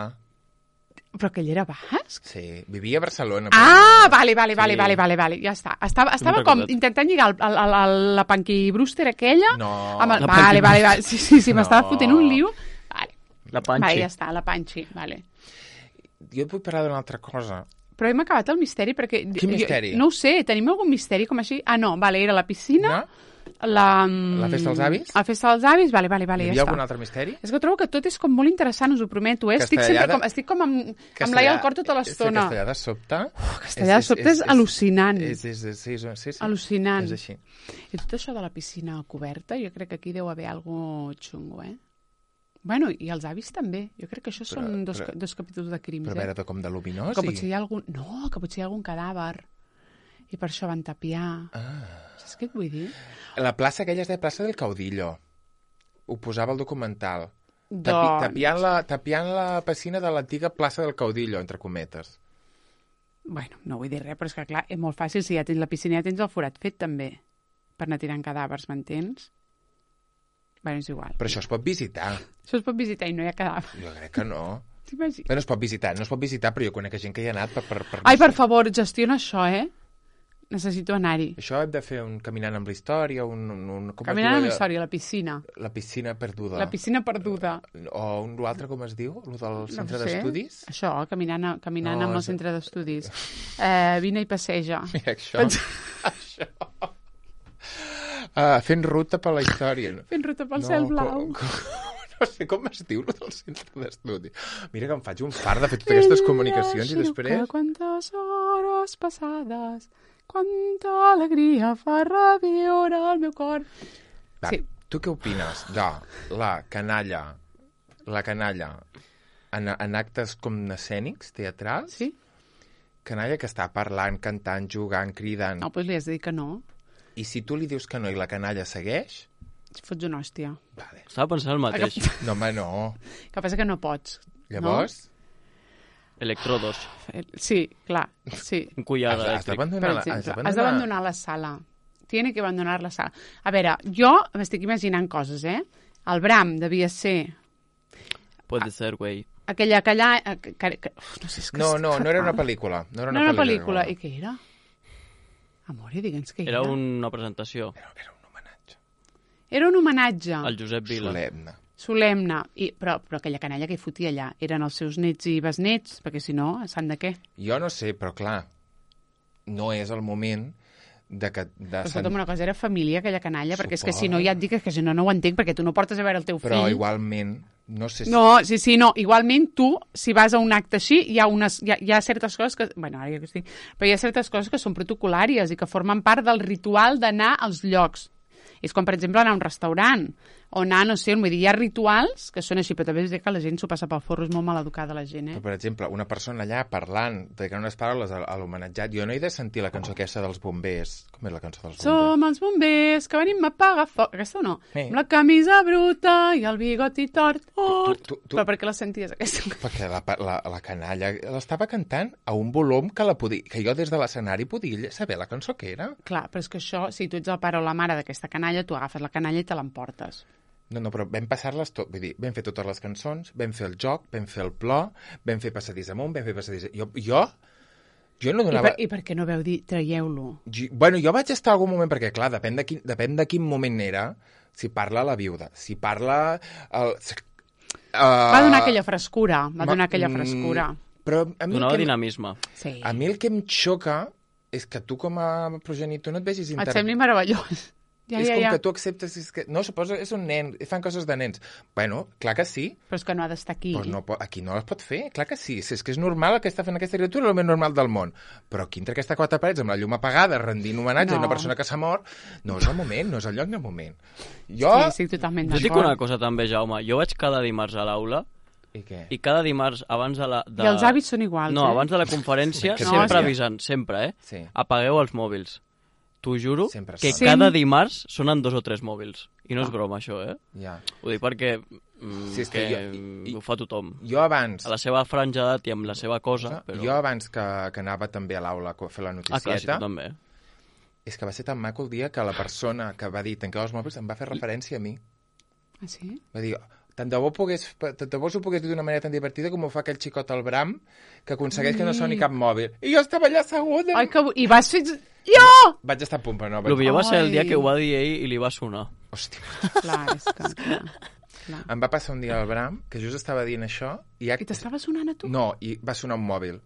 Però que ell era basc? Sí, vivia a Barcelona. Ah, vale, vale, vale, Sí. vale, vale, vale, ja està. Estava, estava m'he com recordat. intentant lligar el, el, el, el, la Punky Brewster aquella. No. Amb el, La vale, Punky vale, vale. Sí, sí, sí, m'estava No. fotent un liu. Vale. La Panchi. Vale, ja està, la Panchi, vale. Jo et vull parlar d'una altra cosa. Però hem acabat el misteri perquè... Quin misteri? Jo, no ho sé, tenim algun misteri com així? Ah, no, vale, era la piscina, No? la... La festa dels avis? La festa dels avis, vale, vale, vale, Hi ja havia està. algun altre misteri? És que trobo que tot és com molt interessant, us ho prometo, eh? Estic, Castellà sempre de- com, estic com amb, amb l'ai al cor tota l'estona. Castellà de sobte... Oh, castellà de sobte és al·lucinant. És, és, és, és, és, sí, sí. Al·lucinant. És així. I tot això de la piscina coberta, jo crec que aquí deu haver algo xungo, eh? Bueno, i els avis també. Jo crec que això Però- són dos, però- dos capítols de crims, Però a eh? veure, de com de luminós? Que i- potser hi ha algun... No, que potser hi ha algun cadàver. I per això van tapiar. Ah. Saps què et vull dir? La plaça aquella es deia plaça del Caudillo. Ho posava al documental. Tapi, Doncs... tapiant, la, tapiant la piscina de l'antiga plaça del Caudillo, entre cometes. Bueno, no vull dir res, però és que clar, és molt fàcil. Si ja tens la piscina, ja tens el forat fet també. Per anar tirant cadàvers, m'entens? Bueno, és igual. Però això es pot visitar. Això es pot visitar i no hi ha cadàver. Jo crec que no. T'imagines? Bueno, es pot visitar, no es pot visitar, però jo conec gent que hi ha anat per... per, per Ai, per favor, gestiona això, eh? Necessito anar-hi. Això hem de fer un caminant amb la història, un... un, un com es Caminant diu amb allò? història, la piscina. La piscina perduda. La piscina perduda. O un l'altre, com es diu? El del centre no sé. d'estudis? Això, caminant, a- caminant No, amb el és- centre d'estudis. Eh, vine i passeja. Mira, això. això. Uh, fent ruta per la història. No? Fent ruta pel cel blau. Com, com, no sé com es diu, lo del centre d'estudi. Mira que em faig un far de fer totes aquestes comunicacions i després... Quantes hores passades, quanta alegria fa reviure el meu cor. Va, Sí. tu què opines de la canalla, la canalla en, en actes com escènics, teatrals, Sí? canalla que està parlant, cantant, jugant, cridant. No, doncs li has de dir que no. I si tu li dius que no i la canalla segueix... Si fots una hòstia. Vale. Estava pensant el mateix. No, home, no. Que passa que no pots. Llavors... Electrodos. No? Sí, clar, sí. Un collar Has, has elèctric. d'abandonar la, Per has exemple, has d'abandonar la sala. Tiene que abandonar la sala. A veure, jo m'estic imaginant coses, eh? El Bram devia ser... Puede ser, güey. Aquella... aquella que, que, que, uf, no sé, és que No, és no, no era una fatal. pel·lícula. No era No una, era una pel·lícula. I què era? Amore, digue'ns què era. Era una presentació. Era, era un homenatge. Era un homenatge. El Josep Vila. Solemne. Solemne. I, però, però aquella canalla que hi fotia allà eren els seus nets i besnets, perquè si no, sant de què? Jo no sé, però clar, no és el moment de que... De Però escolta'm, una cosa, era família, aquella canalla, perquè és que si no ja et dic que si no, no ho entenc, perquè tu no portes a veure el teu Però fill. igualment, no sé si... No, sí, sí, no. Igualment, tu, si vas a un acte així, hi ha, unes, hi ha, hi ha certes coses que... Bueno, ara ja que estic... Però hi ha certes coses que són protocolàries i que formen part del ritual d'anar als llocs. És com, per exemple, anar a un restaurant o anar, no sé, vull dir, hi ha rituals que són així, però també és que la gent s'ho passa pel forro, és molt mal educada la gent, eh? Però, per exemple, una persona allà parlant, dedicant unes paraules a, a l'homenatjat, jo no he de sentir la cançó aquesta dels bombers. Com és la cançó dels bombers? Som els bombers que venim a apagar foc. Aquesta o no? Sí. Amb la camisa bruta i el bigoti tort. Tu- tu- tu- Però per què la senties, aquesta? Perquè la, la, la canalla l'estava cantant a un volum que, la podia, que jo des de l'escenari podia saber la cançó que era. Clar, però és que això, si tu ets el pare o la mare d'aquesta canalla, tu agafes la canalla i te l'emportes. No, no, però vam passar-les tot. Vull dir, vam fer totes les cançons, vam fer el joc, vam fer el plor, vam fer passadís amunt, vam fer passadís... Jo, jo, jo no I donava... per, I per què no veu dir traieu-lo? Jo, bueno, jo vaig estar algun moment, perquè clar, depèn de quin, depèn de quin moment era, si parla la viuda, si parla... El, uh, Va donar aquella frescura, va ma- donar aquella mm, frescura. Però a mi, el Donava que, em- dinamisme. Sí. a mi el que em xoca és que tu com a progenitor no et vegis Et inter... sembli meravellós. Ja, és ja, com ja. que tu acceptes... És que, no, suposa, és un nen, fan coses de nens. Bueno, clar que sí, Però és que no ha d'estar aquí. però no, po- aquí no les pot fer, clar que sí. Si és que és normal el que està fent aquesta criatura, el més normal del món. Però aquí entre aquestes quatre parets, amb la llum apagada, rendint homenatge No. a una persona que s'ha mort, no és el moment, no és el lloc ni el moment. Jo... Sí, sí, totalment Jo d'acord. dic una cosa també, Jaume. Jo vaig cada dimarts a l'aula I què? i cada dimarts abans de la... De... I els hàbits són iguals, No, eh? abans de la conferència, Que sempre sí. avisant, sempre, eh? Sí. Apagueu els mòbils. T'ho juro Sempre que sona. cada dimarts sonen dos o tres mòbils. I no és broma, això, eh? Ja. Ho dic perquè mm, Sí, és que que jo- i- i- ho fa tothom. Jo abans... A la seva franja d'edat i amb la seva cosa, però... Jo abans que, que anava també a l'aula a fer la Ah, clar, sí, noticieta, tu també. és que va ser tan maco el dia que la persona que va dir tanqueu els mòbils em va fer referència a mi. Ah, sí? Va dir, tant de bo, pogués, tant de bo s'ho pogués dir d'una manera tan divertida com ho fa aquell xicot al Bram, que aconsegueix que no soni cap mòbil. I jo estava allà asseguda. Ai, que... bo- I vas fer... Jo! Vaig estar a punt, però no. El Vaig... millor va ser el dia Ai. que ho va dir ell i li va sonar. Hòstia. Clar, és que... Clar, clar. Em va passar un dia al Bram, que just estava dient això, i... Ja... I t'estava sonant a tu? No, i va sonar un mòbil.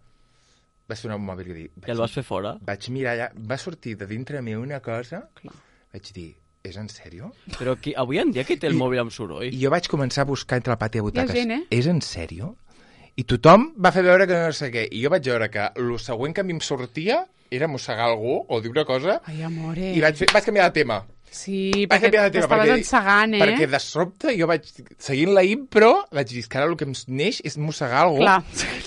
Va sonar un mòbil i dir... I el vas fer fora. Vaig mirar allà, va sortir de dintre meu una cosa, Clar. vaig dir, és en sèrio? Però qui, avui en dia qui té el I- mòbil amb soroll? I jo vaig començar a buscar entre el pati de butaques. gent, eh? És en sèrio? I tothom va fer veure que no sé què. I jo vaig veure que el següent que a mi em sortia era mossegar algú o dir una cosa Ai, amore. i vaig, fer, vaig canviar de tema. Sí, Vaig perquè canviar de tema. t'estaves perquè- ensegant, eh? Perquè de sobte jo vaig, seguint la impro, vaig dir que ara el que em neix és mossegar algú. Clar.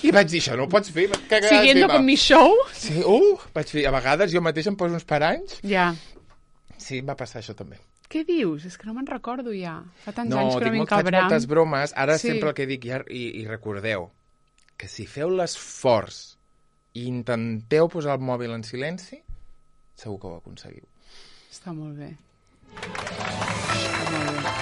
I vaig dir, això no ho pots fer. Vaig cagar de Siguiendo tema. con mi show. Sí, uh, vaig fer, a vegades jo mateix em poso uns paranys. Ja. Sí, em va passar això també. Què dius? És que no me'n recordo ja. Fa tants No, anys que dic, no molt, vinc al faig Bram. moltes bromes. Ara Sí. sempre el que dic, ja, i, i recordeu, que si feu l'esforç i intenteu posar el mòbil en silenci, segur que ho aconseguiu. Està molt bé. Està molt bé.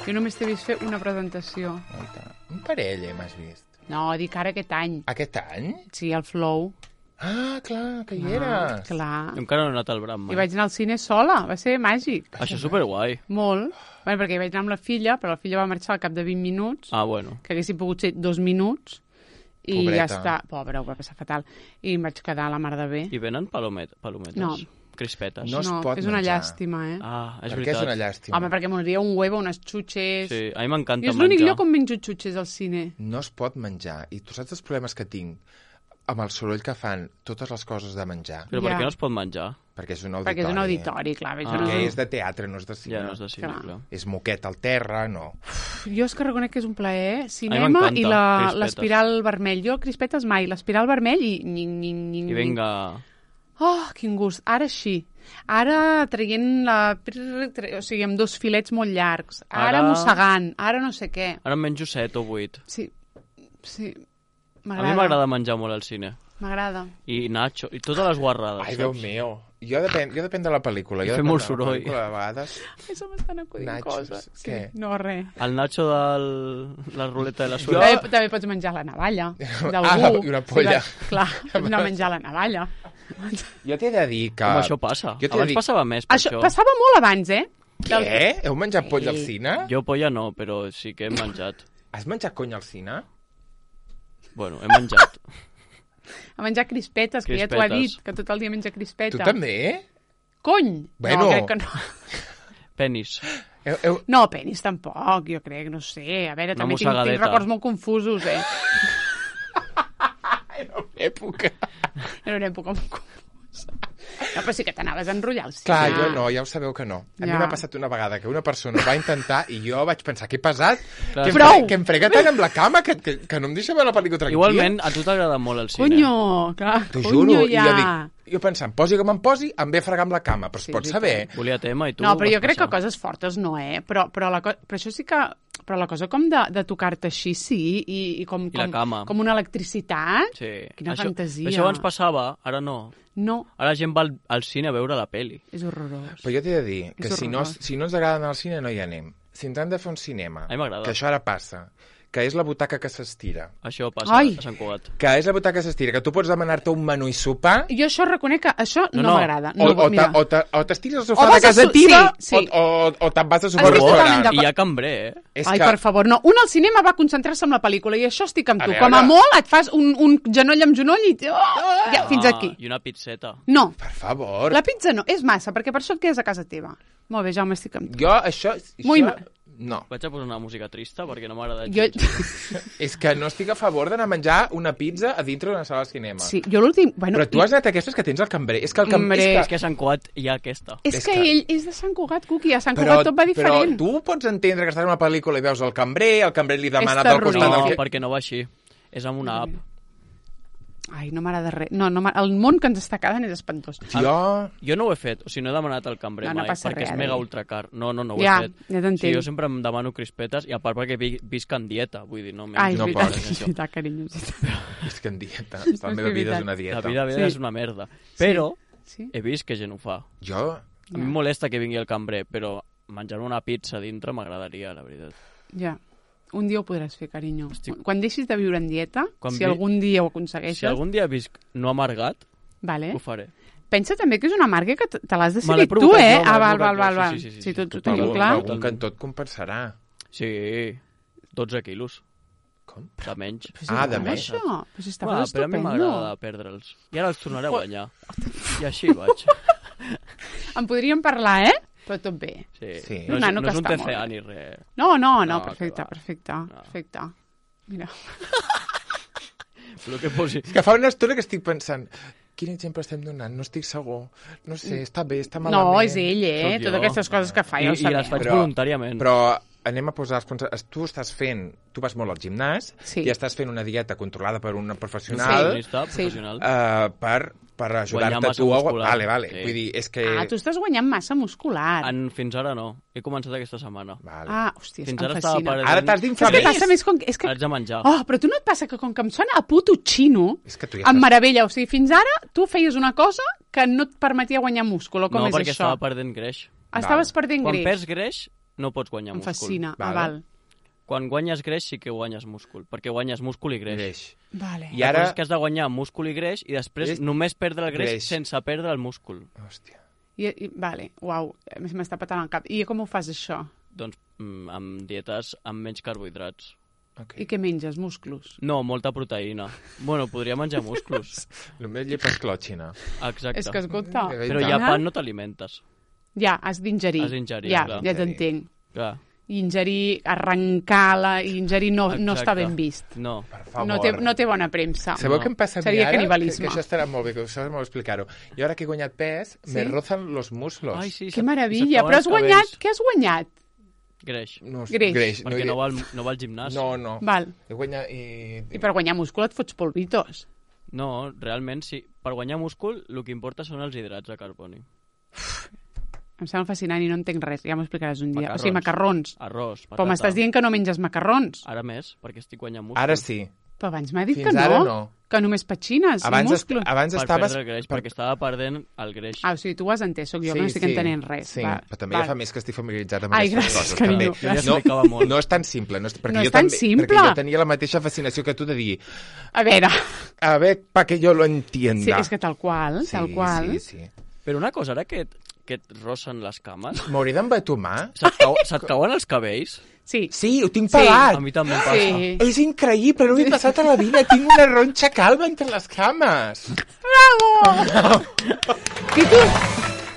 Jo només t'he vist fer una presentació. Guaita. Un parell, eh, m'has vist. No, dic ara aquest any. Aquest any? Sí, el Flow. Ah, clar, que hi Ah, eres. clar. Jo encara no he anat al Bram mai. I vaig anar al cine sola. Va ser màgic. Això és superguai. Molt. Bueno, perquè hi vaig anar amb la filla, però la filla va marxar al cap de vint minuts, Ah, bueno. que haguessin pogut ser dos minuts, i Pobreta. ja està. Pobra, ho va passar fatal. I em vaig quedar a la mar de bé. I venen palomet, palometes? No. Crispetes? No es pot és una menjar. llàstima, eh? Ah, és Per què veritat. és una llàstima? Home, perquè m'hauria un huevo, unes xutxes... Sí, a mi m'encanta I és menjar. l'únic lloc on menjo xutxes al cine. No es pot menjar. I tu saps els problemes que tinc? amb el soroll que fan totes les coses de menjar, Però per Ja. què no es pot menjar? perquè és un auditori. Perquè és un auditori, clar. Ah. Ah. Perquè és de teatre, no és de cine. Ja no és de cine, Clar. clar. És moquet al terra, no. Jo és que reconec que és un plaer, eh? Cinema m'encanta, i la- crispetes. l'espiral vermell. Jo crispetes mai, l'espiral vermell i... Nying, nying, nying, I vinga... Oh, quin gust. Ara sí. Ara traient la... O sigui, amb dos filets molt llargs. Ara, Ara- mossegant. Ara no sé què. Ara en menjo set o vuit. Sí, sí. A mi m'agrada menjar molt al cine. M'agrada. I nacho, i totes les guarrades. Ai, Déu saps? meu. Jo depèn, jo depèn de la pel·lícula. Jo I fer depèn molt de la soroll. pel·lícula, De vegades... Això m'estan acudint Nachos, coses. Sí. què? No, res. El nacho de la ruleta de la Jo- suerte. També, també pots menjar la navalla d'algú. Ah, i una polla. Sí, va- clar, no menjar la navalla. Jo t'he de dir que... Com això passa? Jo t'he de Abans dir... passava més per Això això. passava molt abans, eh? Què? Heu menjat poll al cine? Jo polla no, però sí que he menjat. Has menjat cony al cine? Bueno, he menjat. A menjar crispetes, que ja t'ho ha Crispetes. dit, que tot el dia menja crispeta. Tu també? Cony! Bueno. No, crec que no. Penis. Eh, Heu, heu... No, penis tampoc, jo crec, no sé. A veure, Una també tinc, tinc mossegadeta. records molt confusos, eh? època. Era una època molt confusa. No, però sí que t'anaves a enrotllar al cine. Clar, jo no, ja ho sabeu que no. A mi Ja. m'ha passat una vegada que una persona ho va intentar i jo vaig pensar que he pesat, Clar. que em, Prou! fre que em frega tant amb la cama que, que, que no em deixa veure la pel·lícula tranquil·la. Igualment, a tu t'agrada molt el cine. Conyo, clar, T'ho conyo juro. ja. I jo dic, jo pensant, posi com em posi, em ve a fregar amb la cama, però es Sí, pot sí, saber. Volia tema i tu... No, però vas jo crec que passar. coses fortes no, eh? Però, però, la co però això sí que... Però la cosa com de, de tocar-te així, sí, i, i com, I la com, cama. com una electricitat. Sí. Quina això, fantasia. Això abans passava, ara no. No, Ara la gent va al, al cine a veure la peli. és horrorós. Però jo t'he de dir que És si no, horrorós. si no ens agrada anar al cine no hi anem. Si ens han de fer un cinema, A mi m'agrada. que això ara passa, que és la butaca que s'estira, Això passa Ai. a Sant Cugat. que és la butaca que s'estira, que tu pots demanar-te un menú i sopar, Jo això reconec que això no, No, no. m'agrada. o, No, o, mira. ta- o, ta- o t'estires al O sofà vas de a casa su- teva, sí, sí. o, o, o te'n vas a sopar al Estic totalment restaurant. d'acord. I hi ha cambrer, eh? És Ai, que... per favor, no. Un al cinema va concentrar-se en la pel·lícula i això estic amb A tu. veure. Com a molt et fas un, un genoll amb genoll i... Oh, ja, fins Ah, aquí. I una pizzeta. No, Per favor. la pizza no. És massa, perquè per això et quedes a casa teva. Molt bé, Jaume, estic amb tu. Jo, això... això... Muy mal. No. Vaig a posar una música trista perquè no m'agrada Jo... gens. És que no estic a favor d'anar a menjar una pizza a dintre d'una sala de cinema. Sí, jo l'últim... Bueno, Però tu has anat a aquestes que tens al cambrer. És que el cambrer... Hombre. És És que... que a Sant Cugat hi ha aquesta. És, és que, que- ell és de Sant Cugat, Cuqui. A Sant Però, Cugat tot va diferent. però tu pots entendre que estàs en una pel·lícula i veus el cambrer, el cambrer li demana És pel costat No, del terrorífic. que... perquè no va així. És amb una app. Ai, no m'agrada res. No, no, m'ha- el món que ens està quedant és espantós. Jo... Jo no ho he fet, o sigui, no he demanat al cambrer No, no mai, passa perquè res, és mega eh? ultracar. No, no, no ho Ja, he fet. ja t'entenc. Sí, jo sempre em demano crispetes, i a part perquè vi- visc en dieta, vull dir, no menjo. Ai, és no veritat, pots, és això. veritat, carinyo. és veritat. És que en dieta. És La meva vida veritat. és una La dieta. vida, vida Sí. és una merda. Però Sí? he vist que gent ho fa. Jo... A mi em molesta que vingui el cambrer, però menjar-me una pizza a dintre m'agradaria, la veritat. Ja. Un dia ho podràs fer, carinyo. Estic- Quan deixis de viure en dieta, Quan si vi- algun dia ho aconsegueixes, Si algun dia visc no amargat, vale. ho faré. Pensa també que és una marca que te te l'has Me decidit l'he tu, provocat eh? jo, me Ah, l'he val, val, provocat val, jo, val. sí, sí, sí, Sí, sí, tots ho totalment. tenim Algun, clar. algun cantó et compensarà. Sí, dotze quilos. Com? De menys. Però si Ah, és de bo, menys. Això. Però si estava Ah, però a mi estupendo. m'agrada perdre'ls. I ara els tornaré a guanyar. I així vaig. En podríem parlar, eh? Però tot bé. Sí. Sí. No, és, Un nano no és que un està T molt C A bé. ni res. No, no, no, No, perfecte, que va. perfecte, perfecte. Mira. Però que posi... És que fa una estona que estic pensant quin exemple estem donant? No estic segur. No sé, està bé, està malament. No, és ell, eh? Sóc jo. Totes aquestes coses que fa, I, ja ho I les faig sabem. Però- voluntàriament. Però anem a posar els punts... Tu estàs fent... Tu vas molt al gimnàs Sí. i estàs fent una dieta controlada per una Un professional nutricionista Sí. professional. eh, per, per Guanyar ajudar-te massa tu a... muscular. Vale, vale. Sí. Vull dir, és que... Ah, tu estàs guanyant massa muscular. En, fins ara no. He començat aquesta setmana. Vale. Ah, hòstia, Fins em ara estava fascina. perdent... Ara t'has d'inflar Saps què més. passa més? Com... És que... Haig de menjar. Oh, però tu no et passa que com que em sona a puto xino, És que tu ja em estàs... meravella. O sigui, fins ara tu feies una cosa que no et permetia guanyar múscul, o com no, és perquè això? estava perdent greix. Estaves perdent Quan greix. perds greix, no pots guanyar Em múscul. fascina. Ah, Vale. val. Quan guanyes greix sí que guanyes múscul, perquè guanyes múscul i greix. Greix. Vale. I I ara... ara- és que has de guanyar múscul i greix i després Greix- només perdre el greix, greix. sense perdre el múscul. Hòstia. I, i, vale, uau, m'està patant el cap. I com ho fas, això? Doncs mm, amb dietes amb menys carbohidrats. Okay. I què menges? Musclos? No, molta proteïna. Bueno, podria menjar musclos. Només llepes clòxina. Exacte. És que, escolta... Mm, Però ja pan no t'alimentes. Ja, has d'ingerir. Has d'ingerir, Ja, clar. ja t'entenc. Clar. i ingerir, arrencar-la i ingerir no, no està ben vist. No. Per favor. No té, no té bona premsa. Sabeu No. què em passa a mi Seria ara? canibalisme. Que, que això estarà molt bé, que això és molt explicar-ho. Jo ara que he guanyat pes, Sí? me rozan los muslos. Ai, sí, Que se't- meravella, se't però has cauen els guanyat, cabells. què has guanyat? Greix. No, Greix. greix. Perquè hi- no va, al, no va al gimnàs. No, no. Val. He guanyat i... I per guanyar múscul et fots polvitos. No, realment, sí. Per guanyar múscul, el que importa són els hidrats de carboni. Em sembla fascinant i no entenc res, ja m'ho explicaràs un dia. Macarrons. O sigui, macarrons. Arròs, patata. Però m'estàs dient que no menges macarrons. Ara més, perquè estic guanyant múscul. Ara sí. Però abans m'ha dit Fins que ara no, no. que només petxines Abans, i est múscul. abans Per estaves... perdre el greix, perquè estava perdent el greix. Ah, o sigui, tu ho has entès, sóc jo que no estic entenent res. Sí, Va, però també va. ja fa més que estic familiaritzat amb Ai, aquestes gràcies, coses. carinyo, també. gràcies. No, Explicava molt. no és tan simple. No és, perquè No jo és tan també, simple. Perquè jo tenia la mateixa fascinació que tu de dir A veure, a ver, pa que yo lo entienda. sí, és que tal qual, sí, tal qual. Sí, sí. Però una cosa, ara que, et- que et rossen les cames, M'hauré d'embatomar? se't, cau, se't cauen els cabells? Sí, Sí, ho tinc Sí. pelat. A mi també em passa. sí. És increïble, no m'he passat a la vida. Tinc una ronxa calva entre les cames. Bravo! Títol,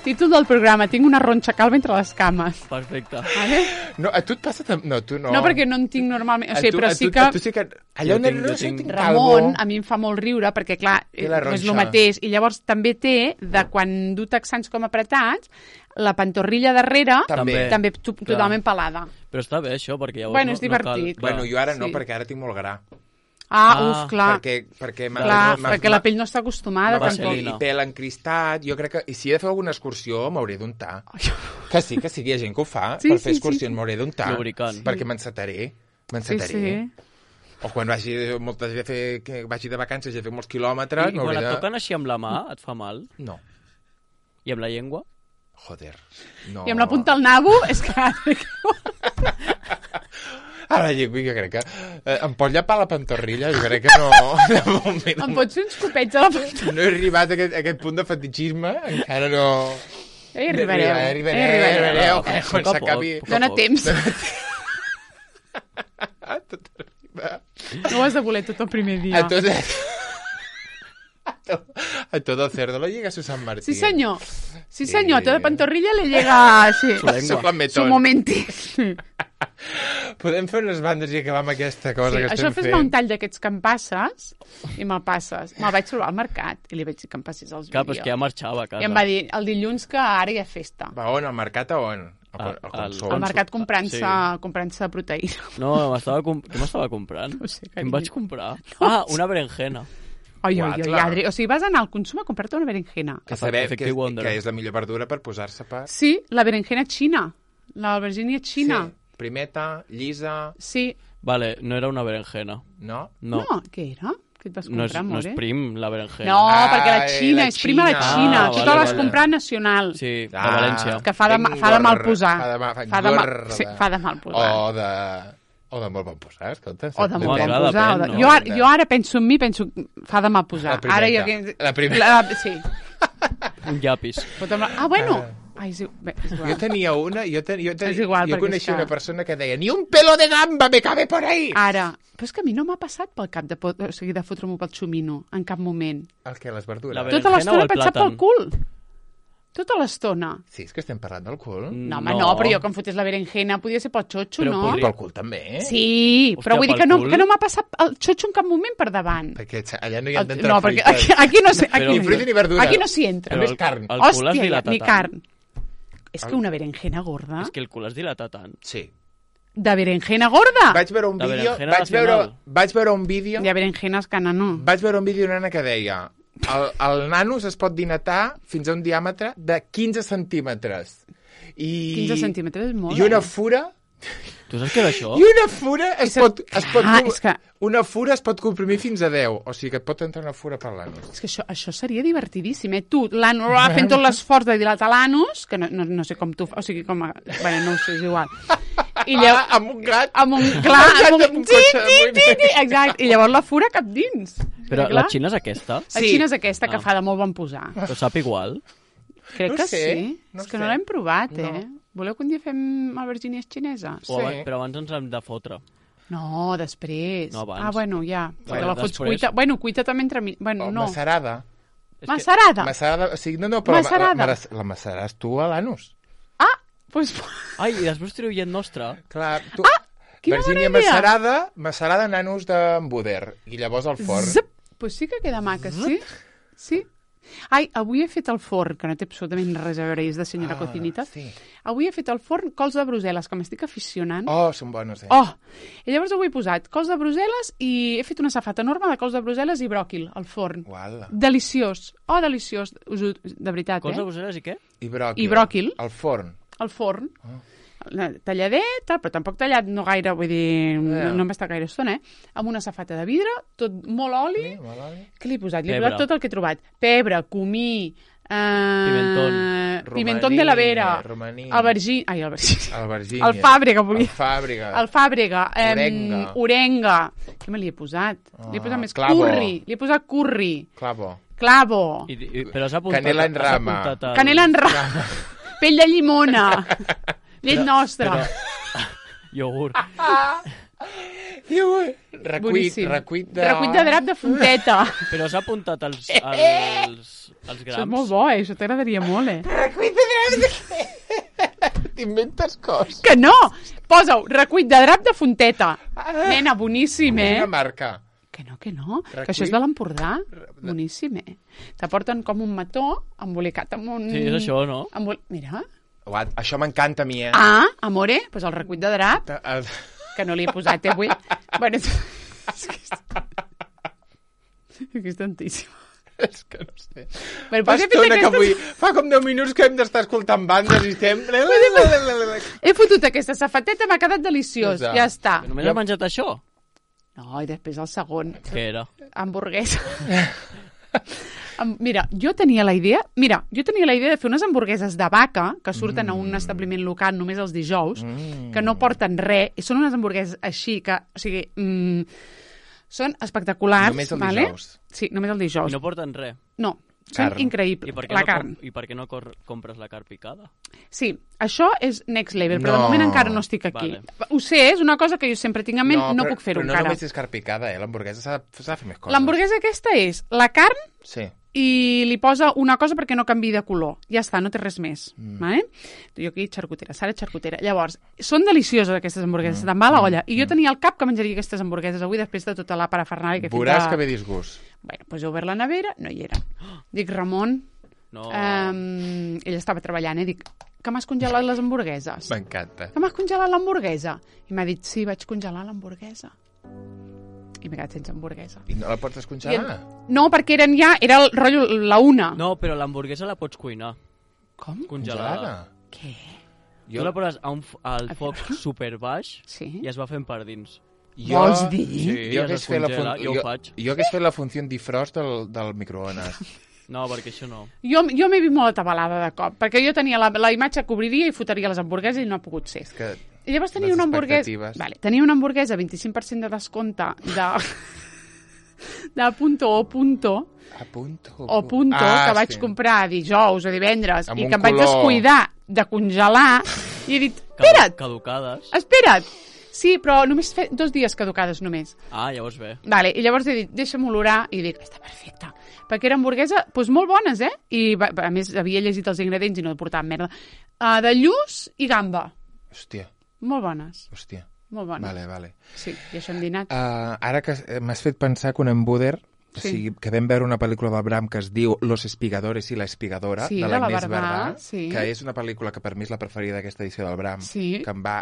títol del programa, tinc una ronxa calva entre les cames. Perfecte. Vale? No, a tu et passa... tam- No, tu no. No, perquè no en tinc normalment. O A sigui, tu- però a sí tu- que... a tu sí que... Allò Jo no, tinc- no jo sé, tinc- tinc Ramon, calvo. a mi em fa molt riure, perquè, clar, Té la no és el ronxa. mateix. I llavors també té, de quan du texans com apretats, la pantorrilla darrere També. també to totalment pelada. Però està bé, això, perquè llavors Bueno, no, és divertit. no cal... Bueno, jo ara no, Sí. perquè ara tinc molt gra. Ah, Ah, uf, clar. Perquè, perquè m'ha- Clar, m'ha- perquè la pell no està acostumada, Va tampoc. ser- I pèl encristat, jo crec que... I si he de fer alguna excursió, m'hauré d'untar. Que sí, que sí, hi ha gent que ho fa. Sí, per sí, fer sí, excursions sí. m'hauré d'untar. Lubricant. Perquè m'encetaré. Sí, M'encetaré. sí. O quan vagi, moltes de fer, que vagi de vacances i he fet molts I, quilòmetres, I quan m'hauré et de... toquen així amb la mà, et fa mal? No. I amb la llengua? Joder. No. I amb la punta al nabo, és que... Ara, jo crec que... Eh, em pot llapar la pantorrilla? Jo crec que no... De moment, em pots fer uns copets a la punta? no he arribat a aquest, a aquest punt de fetichisme, encara no... Eh, arribareu. Arribareu, Eh, arribareu, arribareu. arribareu, A que poc quan a s'acabi... poc, a Dóna poc. temps. Tot arriba. No ho has de voler tot el primer dia. A tot... A todo, a todo cerdo lo llega su San Martín. Sí, senyor. Sí, senyor. Eh. Toda pantorrilla le llega... Sí. Su lengua. Su Su lametón. momenti. Podem fer unes bandes i acabar amb aquesta cosa Sí, que això estem fes-me fent. un tall d'aquests que em passes i me'l passes. Me'l vaig trobar al mercat i li vaig dir que em passés els Clar, però és vídeos. que ja marxava a casa. I em va dir el dilluns que ara hi ha festa. Va, on? Al mercat o on? Al, Al- al, al- consum. Al mercat comprant-se Sí. comprant proteïna. No, m'estava comp... què m'estava comprant? No sé, Què em carinyo. vaig comprar? Ah, una berenjena. Ai, ai, ai, Guatla. Adri. O sigui, vas anar al consum a comprar-te una berenjena. Que sabem que, Effective és, Wonder. que és la millor verdura per posar-se per... Sí, la berenjena xina. La albergínia xina. Sí. Primeta, llisa... Sí. Vale, no era una berenjena. No? No, No, què era? Què et vas no, comprar, és, no és amore? prim, la berenjena. No, Ah, perquè la eh, Xina, la és prima de Xina. Xina. Ah, tu te vale, la vas vale. comprar nacional. Sí, de Ah, València. Que fa de, Ben fa de mal gorda, posar. fa de ma- fa Fa de, mal, gorda. sí, fa de mal posar. O de... O de molt bon posar, escolta. O de molt Depèn. bon posar. o de... Depèn, no? jo, ara, jo ara penso en mi, penso fa de mal posar. La Ara primeta. jo... La primeta. La, sí. Un llapis. Pot amb la- Ah, bueno. Ai, és, i- bé, és igual. Jo tenia una, jo, ten, jo, ten, És igual, jo perquè coneixia és que- una persona que deia ni un pelo de gamba me cabe por ahí. Ara. Però és que a mi no m'ha passat pel cap de, pot... o sigui, de fotre-m'ho pel xumino, en cap moment. El que, les verdures? La Tota berenjena o l'estona el he pensat plàtan? pel cul. Tota l'estona. Sí, és que estem parlant del cul. No, home, no, però jo que em fotés la berenjena podia ser pel xotxo, Però no? I podria- pel cul també, eh? Sí, Hòstia, però vull dir pel que no, cul? que no m'ha passat el xotxo en cap moment per davant. Perquè allà no hi ha El- d'entrar no, perquè fruites. aquí, aquí no sé... Aquí, Però- Ni no- fruita ni verdura. Aquí no s'hi entra. Només el- carn. el cul es Hòstia, dilata ni tant. carn. És que una berenjena gorda... És que el cul es dilata tant. Sí. De berenjena gorda? Vaig veure un La vídeo... berenjena Vaig veure, nacional. vaig veure un vídeo... Hi ha berenjenes que no. Vaig veure un vídeo d'una nena que deia el, el nanus es pot dilatar fins a un diàmetre de quinze centímetres. I, quinze centímetres és molt, I una eh? fura... Tu saps què era això? I una fura es Això- pot, es pot, Ah, com- és que- una fura es pot comprimir fins a deu. O sigui que et pot entrar una fura per l'anus. És que això, això seria divertidíssim, eh? Tu, l'anus, fent tot l'esforç de dilatar l'anus, que no, no, no sé com tu... O sigui, com... A, bueno, no ho sé, és igual. I Ah, llavors... amb un gat. Amb un... Clar, gat amb amb un... un Sí, cotxe de sí, sí, moviment. sí, exacte. I llavors la fura cap dins. Però Clar. la Xina és aquesta? La Sí. Xina és aquesta que Ah. fa de molt bon posar. Però sap igual? Crec No que sé, sí. no és que sé. no l'hem provat, eh? No. Voleu que un dia fem albergínies xineses? O Sí. abans, però abans ens hem de fotre. No, després. No, abans. Ah, bueno, ja. Perquè Bueno, la fots després. cuita... Bueno, cuita també entre mi... Bueno, O no. macerada. És que- Macerada. Macerada, o sigui, no, no, però Macerada. La, la, la maceraràs tu a l'anus. Ah, Pues... Ai, i després teniu llet nostra. Clar, tu... Ah, quina Virgínia bona idea. macerada, macerada nanos d'embuder. I llavors al forn. Zip. Pues sí que queda maca, sí? Sí. Ai, avui he fet al forn, que no té absolutament res a veure, és de senyora Ah, cocinita. sí. Avui he fet al forn cols de Brussel·les, que m'estic aficionant. Oh, són bones, eh? Oh! I llavors avui he posat cols de Brussel·les i he fet una safata enorme de cols de Brussel·les i bròquil al forn. Uala. Deliciós. Oh, deliciós. Us ho- De veritat, Cols de eh? Brussel·les i què? I bròquil. I bròquil. Al forn. Al forn. Oh. Talladet, tal, però tampoc tallat no gaire, vull dir, Yeah. no, no em va estar gaire estona, eh? Amb una safata de vidre, tot molt oli. Sí, molt oli. Què li he posat? Li he Pebre. posat tot el que he trobat. Pebre, comí, eh... Pimentón. Pimentón de la Vera. Romaní. Albergí... Ai, albergí. Albergínia. El fàbrega, volia. El fàbrega. El fàbrega. em, Orenga. Orenga. Què me li he posat? li he posat Ah, més clavo. curri. Li he posat curri. Clavo. Clavo. I, i, però has apuntat... Canela en has rama. apuntat el- Canela en rama. Pell de llimona. Llet nostra. Però... Iogurt. Recuit, Boníssim. recuit de... Recuit de drap de fonteta. Però has apuntat els, els, els grams. Això és molt bo, eh? Això t'agradaria molt, eh? Recuit de drap de... T'inventes coses. Que no! Posa-ho, recuit de drap de fonteta. Nena, boníssim, eh? Una marca. Que no, que no. Recuit. Que això és de l'Empordà. Boníssim, eh? T'aporten com un mató embolicat amb un... Sí, és això, no? Embol... Mira. Uat, això m'encanta a mi, eh? Ah, amore, doncs el recuit de drap, El... que no li he posat, eh, avui. Bueno, és que és... és que és tantíssim. És que no sé. Bueno, Fa doncs he fet estona que aquestes... avui... Fa com deu minuts que hem d'estar escoltant bandes i estem... He fotut aquesta safateta, m'ha quedat deliciós. Ja. Ja està. Només has menjat això? No, i després el segon. Què era? Hamburguesa. Am- Mira, jo tenia la idea... Mira, jo tenia la idea de fer unes hamburgueses de vaca que surten mm. a un establiment local només els dijous, mm. que no porten res, i són unes hamburgueses així que... O sigui, mm, són espectaculars. Només el vale? dijous. Sí, només el dijous. I no porten res. No, són Carn. increïbles. I per què, La no, carn. com, I per què no cor compres la carn picada? Sí, això és next level, però No. de moment encara no estic aquí. Vale. Ho sé, és una cosa que jo sempre tinc en ment, no, no però, puc fer-ho però no encara. només és carn picada, eh? L'hamburguesa s'ha de s'ha de fer més coses. L'hamburguesa aquesta és la carn Sí. i li posa una cosa perquè no canvi de color. Ja està, no té res més. Mm. Vale? Jo aquí, xarcutera, Sara xarcutera. Llavors, són delicioses aquestes hamburgueses, mm. te'n va a la olla. I jo tenia al cap que menjaria aquestes hamburgueses avui després de tota la parafernàlia que he fet. Veuràs de... que ve disgust. Bueno, doncs he obert la nevera, no hi era. Dic, Ramon, No. um, ell estava treballant, eh? Dic, que m'has congelat les hamburgueses? M'encanta. Que m'has congelat l'hamburguesa? I m'ha dit, sí, vaig congelar l'hamburguesa. I m'he quedat sense hamburguesa. I no la pots I descongelar? en... No, perquè eren ja, era el rotllo, la una. No, però l'hamburguesa la pots cuinar. Com? Congelada. Què? Jo... Tu la poses a un, f- al foc super baix Sí? i es va fent per dins. Jo, Vols dir? Sí, jo es hagués fet la descongela, fun... jo ho jo, faig. jo hagués fet la funció defrost del, del microones. No, perquè això no. Jo, jo m'he vist molt atabalada de cop, perquè jo tenia la, la imatge que obriria i fotria les hamburgueses i no ha pogut ser. És que I llavors tenia les una hamburguesa... expectatives. Vale, tenia una hamburguesa vint-i-cinc per cent de descompte de... de punto o punto a punto. o punto ah, que vaig sí. comprar dijous o divendres Amb i un que em vaig color. descuidar de congelar i he dit, Cadu espera't, Caducades. espera't. Sí, però només fe... dos dies caducades només. Ah, llavors bé. Vale, i llavors he dit, deixa'm olorar, i dic, està perfecta. Perquè era hamburguesa, doncs molt bones, eh? I va, a més, havia llegit els ingredients i no portaven merda. Uh, de lluç i gamba. Hòstia, Molt bones, hòstia. molt bones. Vale, vale. Sí, i això hem dinat. Uh, ara que eh, m'has fet pensar que un embuder, o Sí. sigui, que vam veure una pel·lícula del Bram que es diu Los espigadores i la espigadora, Sí, de de la l'Agnès Barbà, Barbà, sí. que és una pel·lícula que per mi és la preferida d'aquesta edició del Bram, Sí. que em va